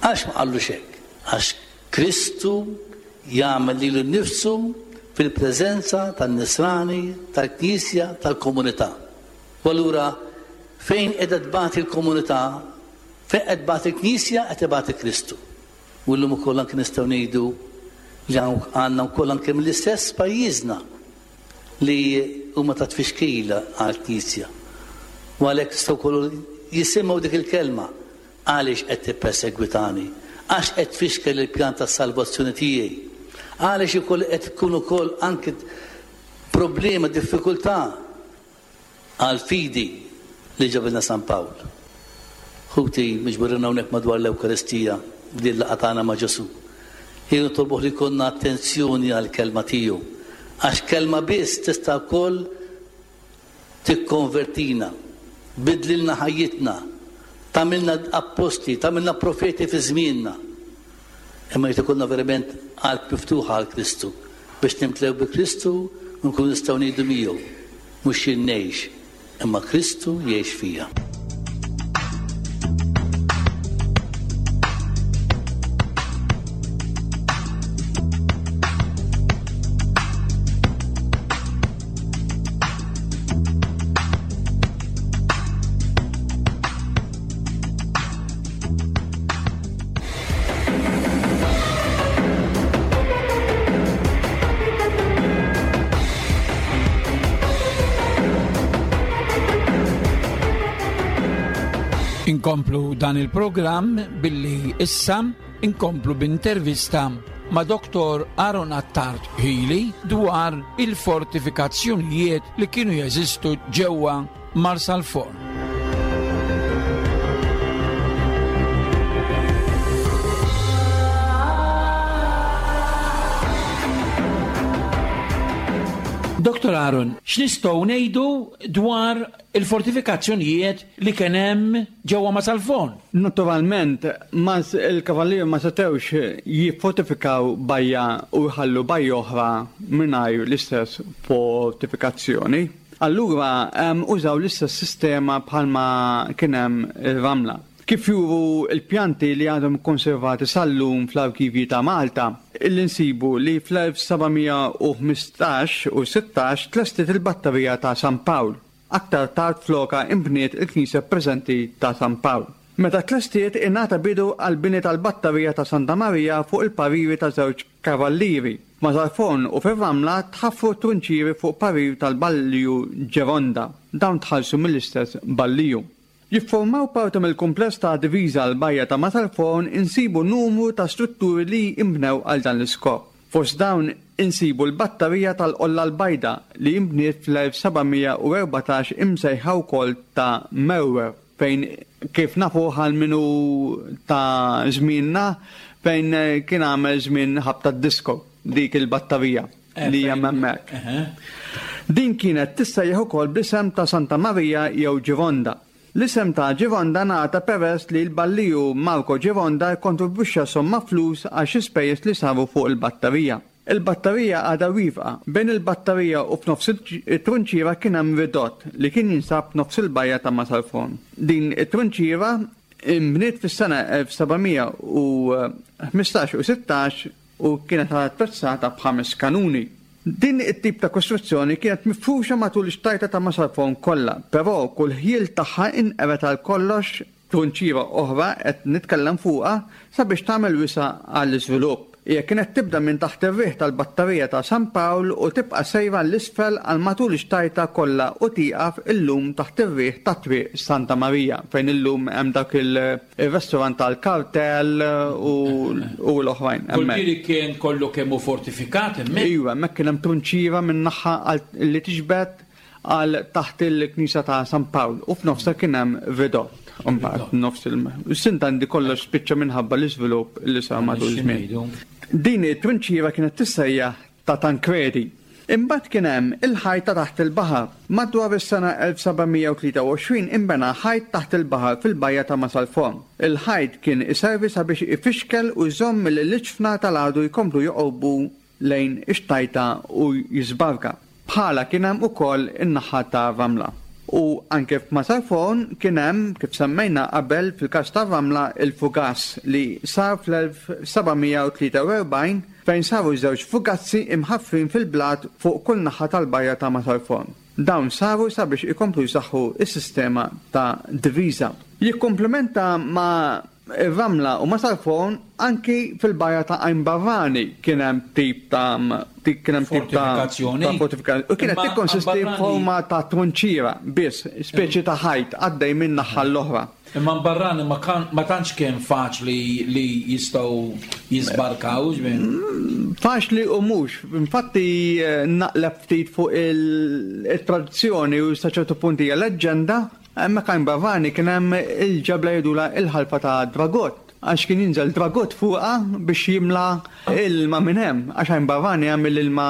Għaliex ma qallux hekk? Għax Kristu jagħmel lilu nnifsu fil-preżenza tan-Nisrani, tal-Knisja, tal-komunità. U allura fejn qiegħda tbati l-komunità, fejn qed tbati l-Knisja, qed ibati Kristu. U llum ukoll anke nistgħu ngħidu li għandna wkoll anke mill-istess pajjiżna li huma ta' tfixkil għall-Knisja. U għalhekk tistgħu wkoll jisimgħu dik il-kelma, Għaliex qed tippersegwitani? Għax qed tfixkel il-pjan tas-salvazzjoni tiegħi? Għaliex ukoll qed tkun ukoll anke problema, diffikultà għall-fidi li ġabilna San Pawl? Ħuti, miġburin hawnhekk madwar l-Ewkaristija f'din il-laqgħa tagħna ma' Ġesù, ejjew nitolbuh li jkollna attenzjoni għall-kelma tiegħu, għax kelma biss tista' wkoll tikkonvertina, tbiddlilna ħajjitna, tagħmilna appostli, tagħmilna profeti fi żmienna. Imma jrid ikollna verament qalb miftuħa għal Kristu biex nimtlew bi Kristu u nkunu nistgħu ngħidu miegħu, mhux jien ngħix, imma Kristu jgħix fija. Inkomplu dan il-programm billi issa inkomplu b'intervista ma' Dr. Aaron Attard Healy dwar il-fortifikazzjonijiet li kienu jeżistu ġewwa Marsalforn. Dr. Aaron, x'nistgħu ngħidu dwar il-fortifikazzjonijiet li kien hemm ġewwa Marsalforn? Naturalment, il-kavallieri ma setgħux jiffortifikaw bajja u jħallu bajja oħra mingħajr l-istess fortifikazzjoni. Allura użaw l-istess sistema bħalma kien hemm ir-ramla. Kif juru l-pjanti li għadhom ikkonservati sal-lum fl-arkivji ta' Malta, illi nsibu li fl-1715 u 16 tlestiet il-batterija ta' San Pawl. Aktar tard flokha inbniet il-knisja preżenti ta' San Pawl. Meta tlestiet ingħata bidu għall-bini tal-batterija ta' Santa Marija fuq il-pariri ta' żewġ kavallieri. F'Mażarforn u fir-Ramla tħaffru trunċieri fuq parir tal-Balliju Ġeronda. Dawn tħallsu mill-istess Balliju. Jiffurmaw parti mill-kumpless ta' diviża l-bajja ta' Matarforn insibu numru ta' strutturi li inbnew għal dan l-iskop. Fost dawn insibu l-batterija tal-Qolla l-Bajda li inbniet fl-1714 imsejħa wkoll ta' Merwer fejn kif nafuh għal min hu ta' żmienna fejn kien għamel żmien ħabta d-disco dik il-batterija. li hemm hemmhekk. Din kienet tissejjaħ ukoll bl-isem ta' Santa Marija jew Gironda. L-isem ta' Gironda ngħata peress li l-balliju Marco Gironda kkontribwixxa somma flus għal xi spejjeż li saru fuq il-batterija. Il-batterija għadha wieqfa. Bejn il-batterija u f'nofs it-trunċiera kien hemm ridott li kien jinsab f'nofs il-bajja ta' Masalfon. Din it-trunċiera nbniet fis-sena 1715 u 16 u kienet attrezzata b'ħames kanuni. Din it-tip ta' kostruzzjoni kienet mifruxa matul ix-xtajta ta' Masalfon kollha, però kull ħjiel tagħha inqered għal kollox trunċiera oħra qed nitkellem fuqha sabiex tagħmel wisa' għall-iżvilupp. Hija kienet tibda minn taħt ir-riħ tal-batterija ta' San Pawl u tibqa' sejra 'l isfel għal matul ix-xtajta kollha u tieqaf illum taħt ir-riħ ta' Triq Santa Marija fejn illum hemm dak il Ir-restaurant tal-Kartel u l-oħrajn hemmhekk. Kull kien kollu kemm hu fortifikat hemmhekk? Iva, hemmhekk kien hemm trunċiera minn naħa li tiġbed għal taħt il-knisja ta' San Pawl u f'nofsha kien hemm ridott. Imbagħad nofs il-sintandi kollox spiċċa minħabba l-iżvilupp li sar matul iż-żmien. Din it-trunċiera kienet tissejjaħ ta' Tancredi. Imbagħad kien hemm il-ħajt ta' taħt il-baħar. Madwar is-sena 1723 inbena ħajt taħt il-baħar fil-bajja ta' Masalforn. Il-ħajt kien iservi sabiex ifixkel u jżomm milli l-iġfna tal-għadu jkomplu joqorbu lejn ix-xtajta u jiżbarka. Bħalha kien hemm ukoll in-naħa ta' Ramla. U anke f'Masalforn kien hemm, kif semmejna qabel fil-każ ta' Ramla, il-fugass li sar fl-1743 fejn saru żewġ fugazzi imħaffrin fil-blat fuq kull naħa tal-bajja ta' Masalforn. Dawn saru sabiex ikomplu jsaħħu s-sistema ta' diviża. Jikkumplimenta ma' Ir-Ramla u Masalforn anki fil-bajja ta' Għajn Barrani kien hemm tip ta' kien hemm tip ta' Fortifikazzjoni. ta' fortifikazzjoni. U kienet Imma tikkonsisti Barrani- f'forma ta' trunċiera biss, speċi ta' ħajt għaddej minn naħa l-oħra. Imma Barrani ma kan ma tantx kien faċli li jistgħu jiżbarkaw, ġifieri. Faċli u mhux. Infatti naqleb ftit fuq il-tradizzjoni u sa ċertu punt hija leġġenda, Hemmhekk għajn Barrani kien hemm il-ġebla jgħidulha il-ħalfa ta' Dragott għax kien jinżel Dragott fuqha biex jimla ilma minn hemm għax għajn Barrani hemm l-ilma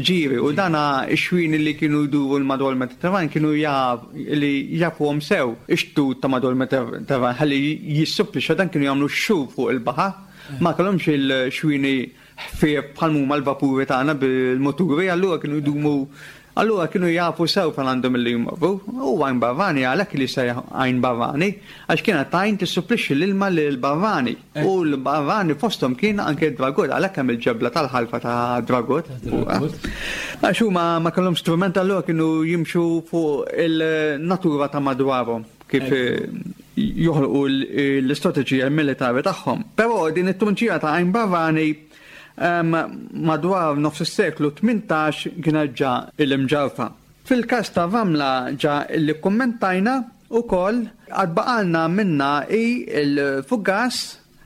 ġieri u dana x-xwieni li kienu jduru l-madwar il-Mediterran kienu jaf li jafuhom sew ix-xtut ta' madwar il-Mediterran ħalli jissupplixxa dan kienu jagħmlu x-xhur fuq il-baħar ma kellhomx il-xwieni ħfief bħal m'huma l-vapuri tagħna bil-muturi, allura kienu jdumu allura kienu jafu sew fejn għandhom illi jmorru. U għajn barrani għalhekk li jsejjaħ għajn barrani, għax kienet għajn tissupplixxi l-ilma lill-barrani. U l-barrani fosthom kien anke d-dragut, għalhekk hemm il-ġebla tal-ħalfa ta' dragut. Għax huma ma kellhomx strument allura kienu jimxu fuq il-natura ta' madwarhom. kif joħolqu l-istrateġija militari tagħhom. Però din it-trunċija ta' Għajn Barrani madwar nofs is-seklu 18 kienet ġa il-imġarfa. Fil-każ ta' Ramla ġa li kkummentajna ukoll għad baqalna minnha hi l-fugas,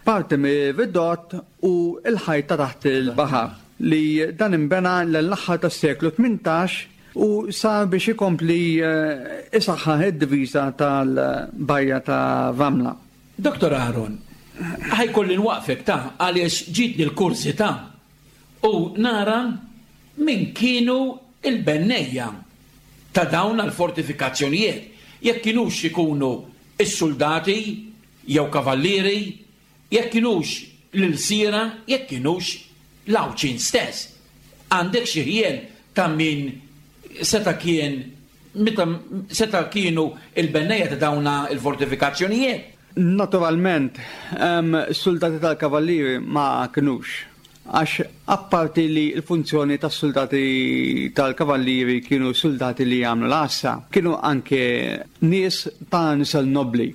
parti mir-ridott u l-ħajt ta' taħt il-baħar li dan inbena l-aħħar tas-seklu 18 U sar biex ikompli isaħħaħ id-diviża tal-bajja ta' Ramla. Dottor Aaron, ħa jkolli nwaqqfek ta' għaliex ġietni l-kurżità u nara min kienu l-bennejja ta' dawn l-fortifikazzjonijiet, jekk kinux ikunu s-suldati jew kavallieri Jekk kinux l-ilsiera, jekk kinux l-Għawdxin stess. Għandek xi ħjiel ta' min seta' kien meta seta' kienu l-bennejja ta' dawn il-fortifikazzjonijiet? Naturalment, suldati tal-kavallieri ma kinux. Għax apparti li l-funzjoni tas-suldati tal-kavallieri kienu suldati li jagħmlu l-għassa, kienu anke nies ta' nisel nobbli.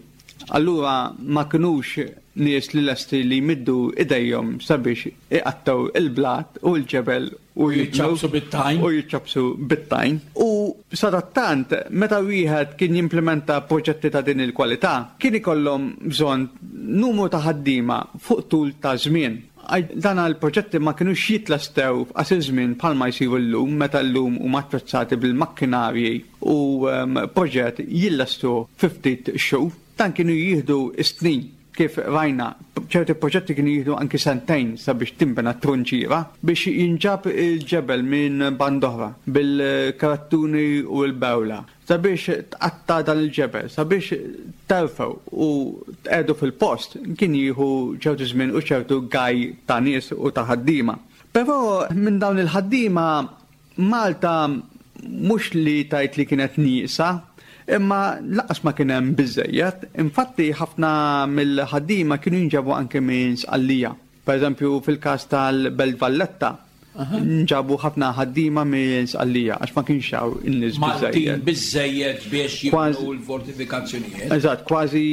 Allura ma kinux nies li lesti li jmiddu idejhom sabiex iqattgħu il-blat u l-ġebel u jiċċappsu bit-tajn. U jiċċappsu bit-tajn. U sadattant, meta wieħed kien jimplimenta proġetti ta' din il-kwalità, kien ikollhom bżonn numru ta' ħaddiema fuq tul ta' żmien. Dan l-proġetti ma kinux jitlestew f'qasir żmien bħalma jsiru llum meta llum huma attrezzati bil-makkinarji u proġett jillestu fi ftit xhur. Dan kienu jieħdu s-snin, kif rajna, ċerti proġetti kienu jieħdu anki sentejn sabiex tinbena t-trunċiera, biex jinġab il-ġebel minn band'oħra bil-karattuni u l-bewla, sabiex tqatta' dan il-ġebel, sabiex terfgħu u tqiegħdu fil-post kien jieħu ċertu żmien u ċertu gaj ta' nies u ta' ħaddiema. Però minn dawn il-ħaddiema Malta mhux li tgħid li kienet nieqsa, imma lanqas ma kien hemm biżżejjed. Infatti ħafna mill-ħaddiema kienu jinġabu anke minn Sqallija. Pereżempju fil-każ tal-Belt Valletta nġabu ħafna ħaddiema minn Sqallija għax ma kienx hawn in-nies biżżejjed. Maltin biżżejjed biex jibnu l-fortifikazzjonijiet. Eżatt, kważi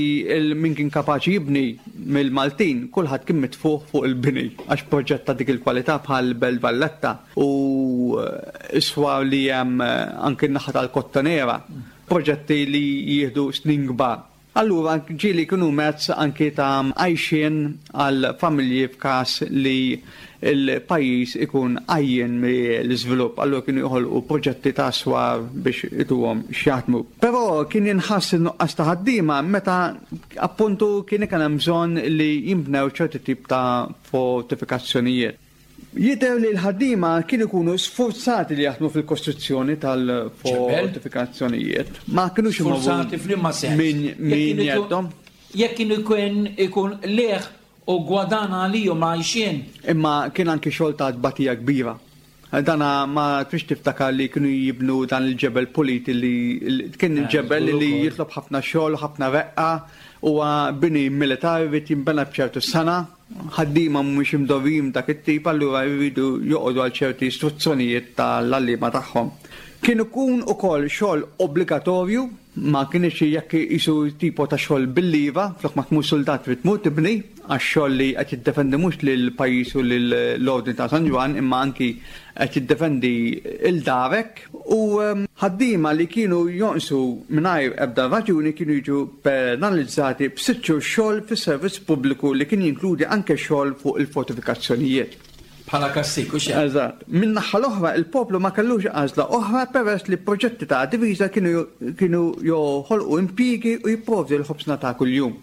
min kien kapaċi jibni mill-Maltin kulħadd kien mitfugħ fuq il-bini għax proġett ta' dik il-kwalità bħal Belt Valletta u s-swar li hemm anki n-naħa tal-Kottonera, proġetti li jieħdu snin kbar. Allura ġieli kienu mezz anki ta' għajxien għal familji f'każ li l-pajjiż ikun għajjien mill-iżvilupp, allura kienu joħolqu proġetti ta' swar biex ituhom x'jaħdmu. Però kien jinħass in-nuqqas ta' ħaddiema meta appuntu kien ikun hemm bżonn li jinbnew ċerti tip ta' fortifikazzjonijiet. Jidher li l-ħaddiema kienu jkunu sfurzati li jaħdmu fil-kostruzzjoni tal-fortifikazzjonijiet. Ma kinux imorru Sfurzati f'liema sens? minn min jeddhom. Jekk kienu jkun ikun qligħ u gwadan għalihom għajxien. Imma kien anki xogħol ta' tbatija kbira. Dana ma trix tiftakar li kienu jibnu dan il-ġebel pulit li kien ġebel li jitlob ħafna xogħol, ħafna reqqa, huwa bini militari jrid jinbena b'ċertu sena, ħaddiema mhumiex imdorrijin b'dak it-tip allura jridu joqogħdu għal ċerti istruzzjonijiet tal-għalliema tagħhom. Kien ikun ukoll xogħol obbligatorju, ma kienx jekk qisu tipo ta' xogħol bil-lieva, flok ma tmur suldat trid tmur tibni. Għax xogħol li qed jiddefendi mhux lill-pajjiż u lill-Ordni ta' San Ġwann imma anki qed jiddefendi 'l darek. U ħaddiema li kienu jonqsu mingħajr ebda raġuni kienu jiġu penalizzati b'sitt xhur xogħol fis-servizz pubbliku li kien jinkludi anke xogħol fuq il-fortifikazzjonijiet. Bħala kastig, hux hekk? Eżatt. Min-naħa l-oħra, il-poplu ma kellux għażla oħra peress li proġetti ta' difiża kienu kienu joħolqu impjiegi u jipprovdu l-ħobżna ta' kuljum.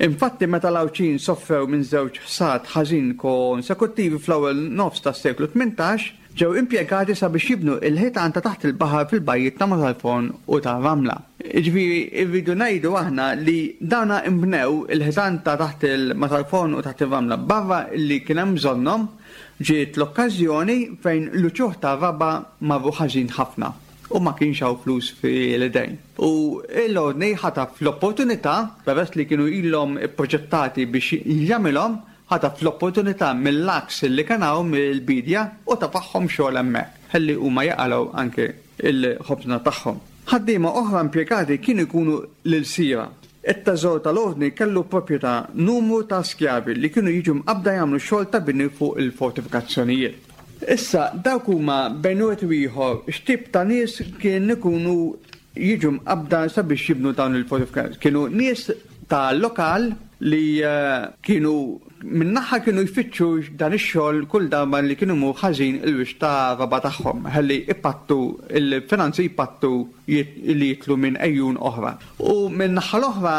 Infatti meta l-Għawdxin soffrew minn żewġ ħsad ħażin konsekuttivi fl-ewwel nofs tas-seklu 18, ġew impjegati sabiex jibnu l-ħitan ta' taħt il-baħar fil-bajjiet ta' Marsalforn u tar-Ramla. Jiġifieri rridu ngħidu aħna li dawna nbnew il-ħitan ta' taħt il-Marsalforn u taħt ir-Ramla barra li kien hemm bżonnhom, ġiet l-okkażjoni fejn l-uċuħ tar-raba' marru ħażin ħafna. U ma kienx hawn flus fil-idejn. U l-Ordni ħataf l-opportunità, peress li kienu ilhom ipproġettati biex jagħmilhom, ħataf l-opportunità mill-għaks li kien hawn mill-biedja u tafagħhom xogħol hemmhekk, ħalli huma jaqalgħu anke l-ħobżna tagħhom. Ħaddiema oħra impjegati kienu jkunu l-ilsiera. It-teżor tal-Ordni kellu proprjetà numru ta' skjavi li kienu jiġu mqabbda jagħmlu xogħol ta' bini fuq il-fortifikazzjonijiet. Issa, dawk huma bejn wieħed u ieħor x'tip ta' nies kien ikunu jiġu mqabbda sabiex jibnu dawn il-fortifikazzjonijiet. Kienu nies ta' lokal li kienu minn naħa kienu jfittxu dan ix-xogħol kull darba li kienu jmur ħażin il-wiċċ ta' raba' tagħhom ħalli jpattu il-finanzi jpattu li jidħlu minn għejun oħra. U min-naħa l-oħra,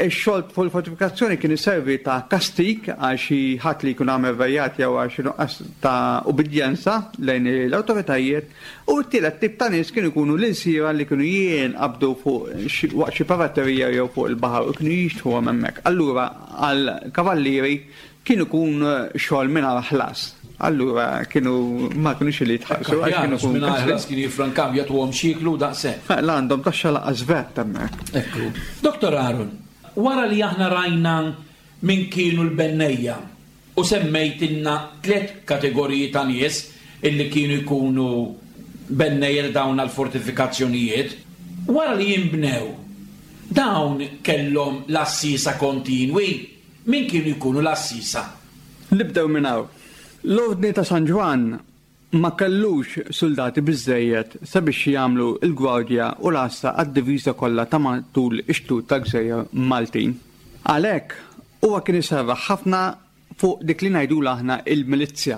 ix-xogħol fuq il-fortifikazzjoni kien iservi ta' kastig għal xi ħadd li jkun għamel rejat jew għal xi nuqqas ta' ubbidjenza lejn l-awtoritajiet, u t-tielet tip ta' nies kienu jkunu l-ilsiera li kienu jinqabdu fuq waqt xi piraterija jew fuq il-baħar u kienu jixtruhom hemmhekk. Allura għall-kavallieri Kien ikun xogħol mingħajr ħlas. Allura kienu ma kinux li jitħallsu għax kienu jkunu. Mingħajr ħlas kienu jiffrankaw jagħtuhom x'jieklu u daqshekk. La għandhom taxxa lanqas vat hemmhekk. Ekku. Dottor Aaron, wara li aħna rajna min kienu l-bennejja u semmejtilna tlett kategoriji ta' nies illi kienu jkunu bennejja ta' dawn l-fortifikazzjonijiet, wara li jinbnew, dawn kellhom l-għassiesa kontinwi? Min kienu jkunu l-għassiesa? Nibdew minn hawn. L-Ordni ta' San Ġwann ma kellux suldati biżżejjed sabiex jagħmlu l-gwardja u l-għassa għad-diviża kollha ta' matul ix-xtut tal-gżejjer Maltin. Għalhekk, huwa kien iserraħ ħafna fuq dik li ngħidulha aħna il-milizzja.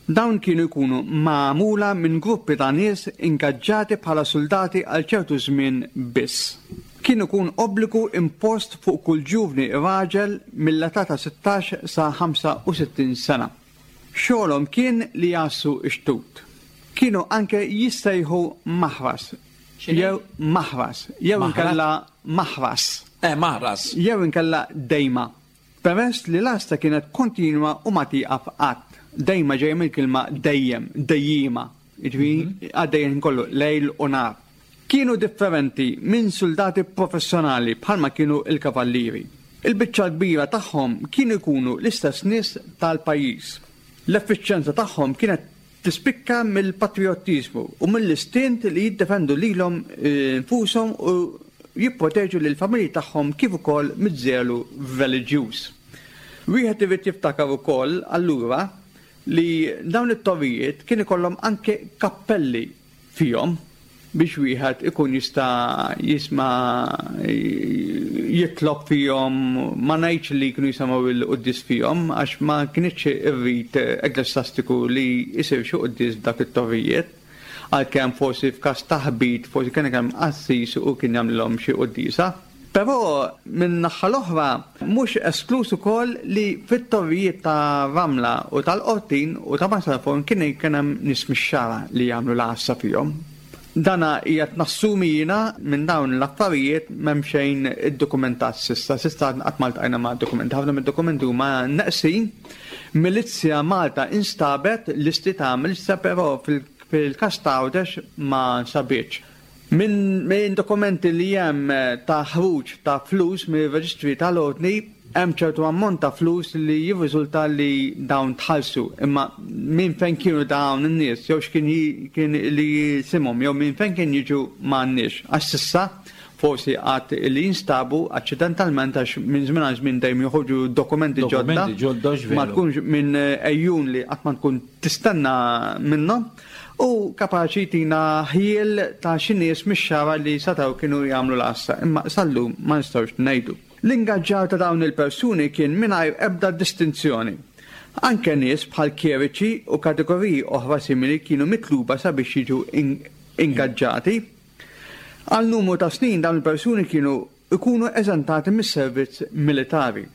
Dawn kienu jkunu magħmula minn gruppi ta' nies ingaġġati bħala suldati għal ċertu żmien biss. Kien ikun obbligu impost fuq kull ġuvni raġel mill-età ta' 16 sa 65 sena. Xogħolhom kien li jgħassu x-xtut. Kienu anke jissejħu maħras jew maħras jew inkella maħras. Eh, maħras. Jew inkella dejma. Peress li l-għassa kienet kontinwa u ma tieqaf qatt. Dejma ġejja mill-kelma dejjem, dejjiema, jiġifieri għaddejja l-ħin kollu, lejl u nhar. Kienu differenti minn suldati professjonali bħalma kienu l-kavallieri. Il-biċċa l-kbira tagħhom kienu jkunu l-istess nies tal-pajjiż. L-effiċjenza tagħhom kienet Tispikka mill-patrijottiżmu u mill-istint li jiddefendu lilhom infushom u jipproteġu lill-familji tagħhom kif ukoll miż-żelu reliġjuż. Wieħed irid jiftakar ukoll allura li dawn it-torrijiet kien ikollhom anke kappelli fihom biex wieħed ikun jista' jisma' jitlob fihom, ma ngħidx li kienu jisemgħu l-quddies fihom għax ma kinitx ir-rit ekklesjastiku li jsir xi quddies f'dak it-torrijiet, għalkemm forsi f'każ ta' ħbit forsi kien hemm qassis u kien jagħmlilhom xi quddiesa. Però min-naħa l-oħra mhux eskluż ukoll li fit-torrijiet ta' Ramla u tal-Qortin u ta' Marsalforn kien kien hemm nies mix-Xagħra li jagħmlu l-għassa fihom. Dana qiegħed nassumi jiena minn dawn l-affarijiet m'hemm xejn iddokumentat s'issa. S'issa qatt ma ltqajna ma' dokumenti. Ħafna mid-dokumenti huma neqsin. Milizzja Malta instabet, listi ta' milizzja però fil-każ ta' Għawdex ma nsabitx. Minn dokumenti li hemm ta' ħruġ ta' flus mir-reġistri tal-Ordni, hemm ċertu ammont ta' flus li jirriżulta li dawn tħallsu. Imma minn fejn kienu dawn in-nies jew x'kien kien li jisimhom jew minn fejn kien jiġu m'għandniex. Għax s'issa forsi għad li jinstabu aċċidentalment għax minn żmien għal żmien dejjem joħorġu dokumenti ġodda. Ma tkunx minn ejjun li qatt ma tkun tistenna minnhom. U kapaċi jtina ħjiel ta' xi nies mix-Xagħra li setgħu kienu jagħmlu l-għassa, imma sal-lum ma nistgħux ngħidu. L-ingaġġar ta' dawn il-persuni kien mingħajr ebda distinzjoni. Anke nies bħal kjeriċi u kategoriji oħra simili kienu mitluba sabiex jiġu ingaġġati. Għal numru ta' snin dawn il-persuni kienu jkunu eżentati mis-servizz militari.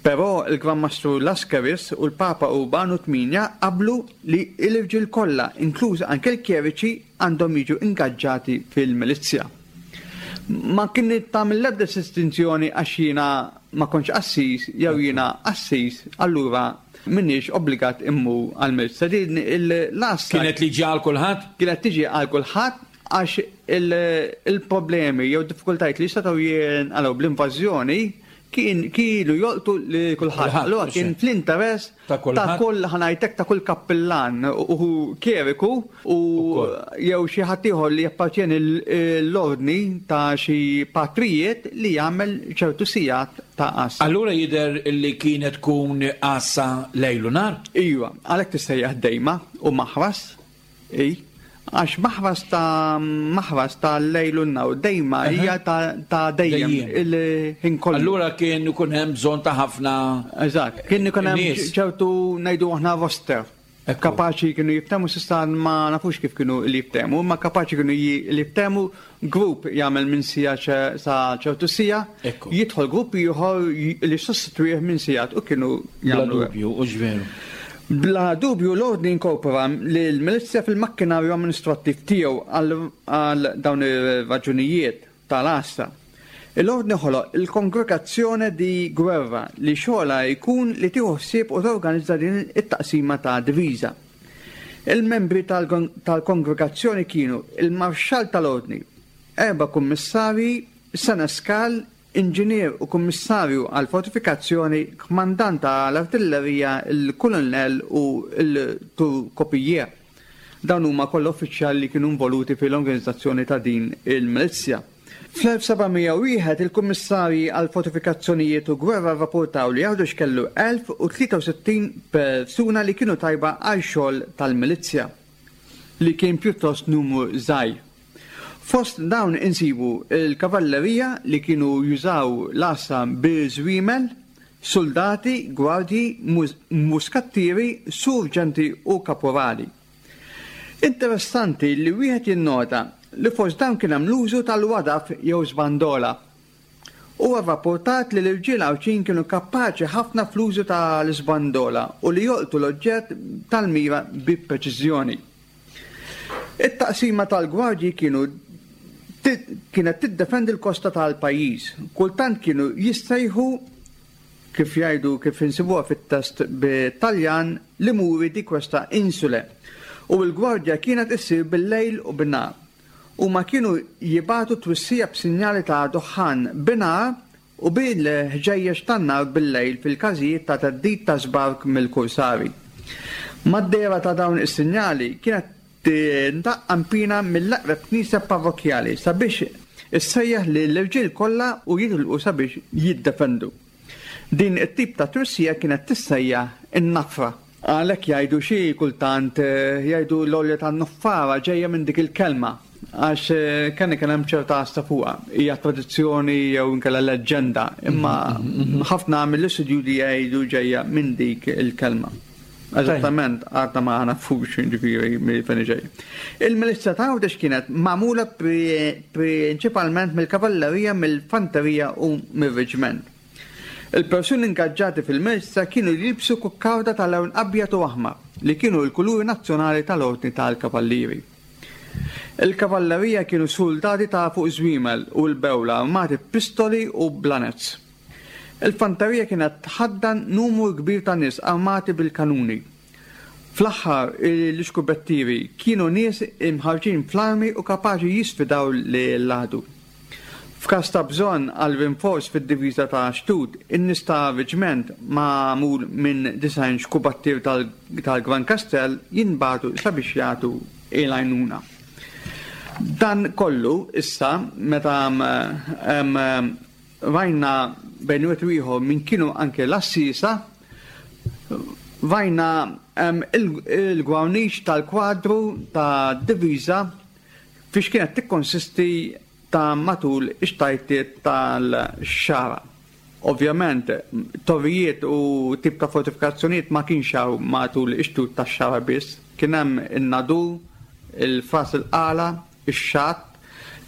Però l-Gran Mastru Lascaris u l-Papa Urbanu Tmienja qablu li l-irġiel kollha, inkluż anke l-kjeriċi, għandhom jiġu ingaġġati fil-milizzja. Ma kienet tagħmel l-ebda distinzjoni għax jiena ma kontx qassis jew jiena qassis, allura m'iniex obbligat immur għall-milizzja. Din l-għassa. Kienet liġi għal kulħadd? Kienet tiġi għal kulħadd għax il-problemi jew diffikultajiet li setgħu jinqalgħu bl-invażjoni kien kienu jolqtu li kulħadd. Allura kien fl-interess ta' kull ħanajtek ta' kull kappillan u kjeriku u jew xi ħadd ieħor li jappartjeni l-ordni ta' xi patrijiet li jagħmel ċertu sigħat ta' għassa. Allura jidher li kienet tkun għassa lejl u nhar? Iva, għalhekk tissejjaħ dejma u maħras. I, għax maħras ta' maħras ta' lejl u nhar dejma hija ta' dejjem il-ħin kollu. Allura kien ikun hemm bżonn ta' ħafna. Eżatt, kien ikun hemm ċertu ngħidu aħna roster. Kapaċi kienu jiftehmu s'issa ma nafux kif kienu li jiftehmu, imma kapaċi kienu li jiftehmu grupp jagħmel minn sija sa ċertu sija, jidħol grupp ieħor li sostitwih minn sigħat u kienu jagħmlu. Bla dubju, u veru. Bla dubju l-ordni inkorpora lill-milizzja fil-makkinarju amministrattiv tiegħu għal dawn ir-raġunijiet tal-għassa. Il-ordni ħoloq il-Congregazione di Guerra li xogħolha jkun li tieħu ħsieb u torganizza din it-taqsima ta' diviża. Il-membri tal-kongregazzjoni kienu il-Marxall tal-Ordni, erba' kummissarji, seneskal, inġinier u kummissarju għall-fortifikazzjoni, kmandant ta' l-artillerija, il-kulunell u l-turkopijier. Dawn huma kollha uffiċjali li kienu involuti fil-organizzazzjoni ta' din il-milizzja. Fl-1701 il-Kummissarji għall-Fortifikazzjonijiet u Gwerra rrappurtaw li Għawdex kellu 1,063 persuna li kienu tajba għal xogħol tal-milizzja, li kien pjuttost numru żgħir. Fost dawn insibu l-kavallerija li kienu jużaw l-għassa biż-żwiemel, suldati, gwardji, muskattieri, surġenti u kapurali. Interessanti li wieħed jinnota li fost dawn kien hemm l-użu tal-wadaf jew żbandola. Huwa rrappurtat li l-irġiel Għawdxin kienu kapaċi ħafna fl-użu ta' l-iżbandola u li jolqtu l-oġġett tal-mira bi preċiżjoni. It-taqsima tal-gwardji kienu kienet tiddefendi l-kosta tal-pajjiż. Kultant kienu jissejħu kif jgħidu kif insibuha fit-test bit-Taljan, li muri di questa insule, u l-gwardja kienet issir bil-lejl u bin-nhar. Huma kienu jibagħtu twissija b'sinjali ta' duħħan binhar u bil-ħġejjeġ tan-nar bil-lejl fil-każijiet ta' theddid ta' żbark mill-kursari. Mad-dehra ta' dawn is-sinjali kienet Tindaqq qanpiena mill-eqreb knisja parrokkjali sabiex issejjaħ lill-irġiel kollha u jitilqu sabiex jiddefendu. Din it-tip ta' twissija kienet tissejjaħ in-nafra. Għalhekk jgħidu xi kultant jgħidu l-għolja tan-nuffara ġejja minn dik il-kelma għax kien ikun hemm ċerta għassa fuqha. Hija tradizzjoni jew inkella leġġenda, imma ħafna mill-istudjużi jgħidu ġejja minn dik il-kelma. Eżattament għadna ma nafux ġifieri minn fejn ġej. Il-milizja ta' Għawdex kienet magħmula prinċipalment mill-kavallerija, mill-fanterija u mir-reġiment. Il-persuni ingaġġati fil-milizja kienu jilbsu kukkarda ta' lewn abjad u aħmar, li kienu l-kuluri nazzjonali tal-Ordni tal-Kavallieri. Il-kavallerija kienu suldati ta' fuq żwiemel u l-bewla armati b'pistoli u blanets. Il-fanterija kienet tħaddan numru kbir ta' nies armati bil-kanuni. Fl-aħħar, l-iskubettieri kienu nies imħarrġin fl-armi u kapaċi jisfidaw lill-għadu. F'każ ta' bżonn għal rinforz fid-diviża ta' xtut, in-nies ta' reġment magħmul minn 90 xkubattier tal-Gran Kastell jinbagħtu sabiex jagħtu l-għajnuna. Dan kollu issa meta Rajna bejn wieħed u ieħor min kienu anke l-għassiesa, rajna il-gwarniċ tal-kwadru ta' diviża fiex kienet tikkonsisti ta' matul ix-xtajtiet tal-xagħra. Ovvjament, torrijiet u tip ta' fortifikazzjonijiet ma kienx hawn matul ix-xtut tax-xagħra biss, kien hemm in-Nadur, il-Fras il-Qala, ix-Xatt,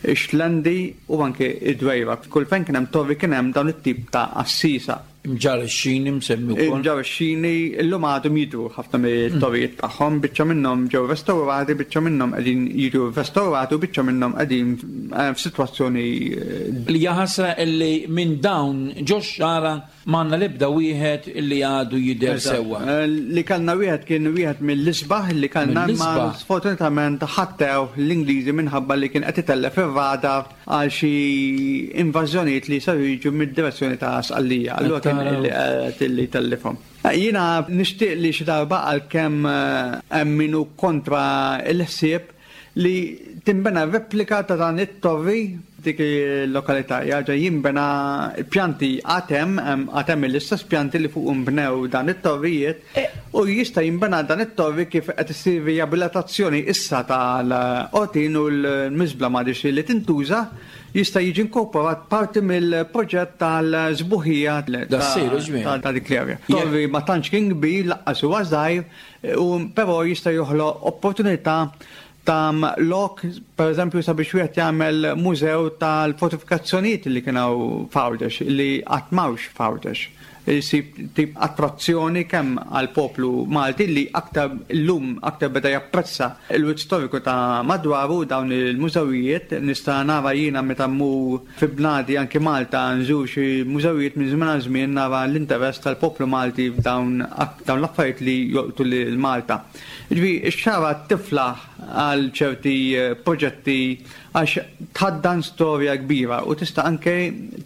ix-Xlendi u anke d-Dwejra. Kull fejn kien hemm torri kien hemm dawn it-tip ta' għassiesa. Imġarr ix-Xini msemmi wkoll. Imġarr ix-Xini illum għadhom jidhru ħafna mit-torrijiet tagħhom, biċċa minnhom ġew restawrati, biċċa minnhom qegħdin jiġu restawrati u biċċa minnhom qegħdin f'sitwazzjoni. Li hija ħasra illi minn dawn ġox-xagħra M'għandna l-ebda wieħed li għadu jidher sewwa. Li kellna wieħed kien wieħed mill-isbaħ li kellna imma sfortunatament ħattewh l-Ingliżi minħabba li kien qed itellef ir-radar għal xi invażjonijiet li saru jiġu mid-direzzjoni ta' Sqallija. Allura kien qed li jtellifhom. Jiena nixtieq li xi darba għalkemm hemm min hu kontra l-ħsieb li tinbena replika ta' dan it-torri f'dik il-lokalità. Jarġa' jinbena pjanti għad hemm, għad hemm l-istess pjanti li fuqhom bnew dan it-torrijiet u jista' jinbena dan it-torri kif qed issir riabilitazzjoni issa tal-qortin u l-miżbla m'għadhiex li tintuża, jista' jiġi inkorporat parti mill-proġett tal-sbuħija ta' dik l-area. Torri ma tantx kien kbir, lanqas huwa żgħir, U però jista' joħloq opportunità ta' lok, per eżempju, sabiex wieħed jagħmel mużew tal-fortifikazzjonijiet li kien hawn f'Għawdex, li qatt m'hawnx f'Għawdex. Isib tip attrazzjoni kemm għall-poplu Malti li aktar illum aktar beda japprezza l-wirt storiku ta' madwaru dawn il-mużewijiet. Nista' nara jiena meta mmur fi bnadi anki Malta nżur xi mużewijiet minn żmien għal żmien nara l-interess tal-poplu Malti f'dawn dawn l-affarijiet li jolqtu lil Malta. Jiġifieri x-xagħra tiflaħ għal ċerti proġetti għax tħaddan storja kbira u tista' anke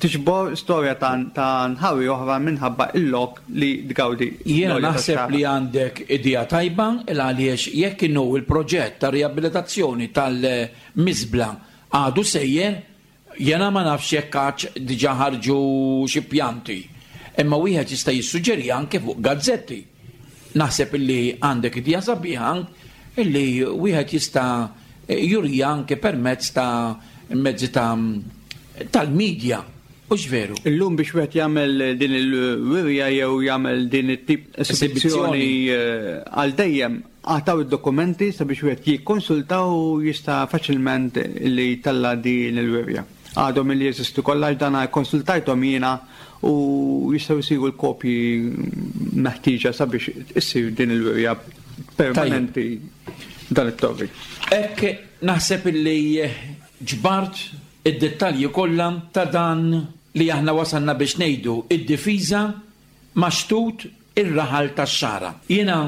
tiġbor storja ta' nħawi oħra minħabba l-lok li tgawdi Jiena l-għolja naħseb tax-xagħra. li għandek idea tajba il għaliex jekk inhu l-proġett ta' riabilitazzjoni tal-miżbla għadu sejjer, Jiena ma nafx jekk għadx diġà ħarġu xi pjanti, imma wieħed jista' jissuġġeriha anke fuq gazzetti. Naħseb illi għandek idea sabiħa illi wieħed jista' juriha anke permezz ta' mezzi ta' tal-media, hux veru? Illum biex wieħed jagħmel din il-wirja jew jagħmel din it-tip esibizzjoni għal dejjem Għataw id-dokumenti sabiex wieħed jikkonsulta u jista' faċilment li jtella' din il-wirja. Għadhom li jeżistu kollha għax dan ikkonsultajthom jiena u jistgħu jsiru l-kopji meħtieġa sabiex issir din il-wirja permanenti dan it-torri. Hekk naħseb illi ġbart id-dettalji kollha ta' dan li aħna wasalna biex ngħidu id-difiża ma' xtut ir-raħal tax-Xagħra. Jiena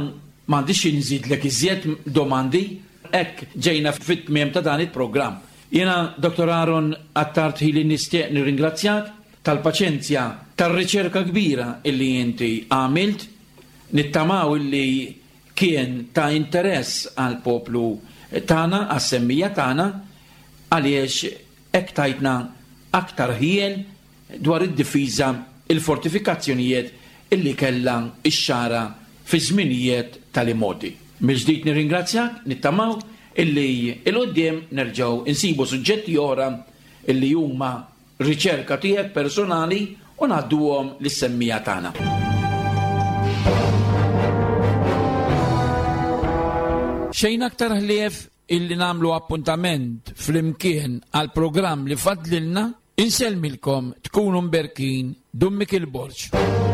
m'għandix xi nżidlek iżjed domandi, hekk ġejna fit-tmiem ta' dan il-programm. Jiena Dottor Aaron Attard Hili nistieq nirringrazzjak tal-paċenzja, tar-riċerka kbira illi inti għamilt. Nittamaw illi kien ta' interess għall-poplu tagħna, għas-semmija tagħna, għaliex hekk tajtna aktar ħjiel dwar id-difiża, il-fortifikazzjonijiet illi kellha x-Xagħra fiż-żminijiet tal-imgħoddi. Mill-ġdid nirringrazzjak, nittamaw illi 'l quddiem nerġgħu nsibu suġġetti oħra illi huma riċerka tiegħek personali u ngħadduhom lis-semmiegħa tagħna. Xejn aktar ħlief illi nagħmlu appuntament flimkien għal programm li fadlilna, insellmilkom tkunu mberkin Dun Mikiel Borg.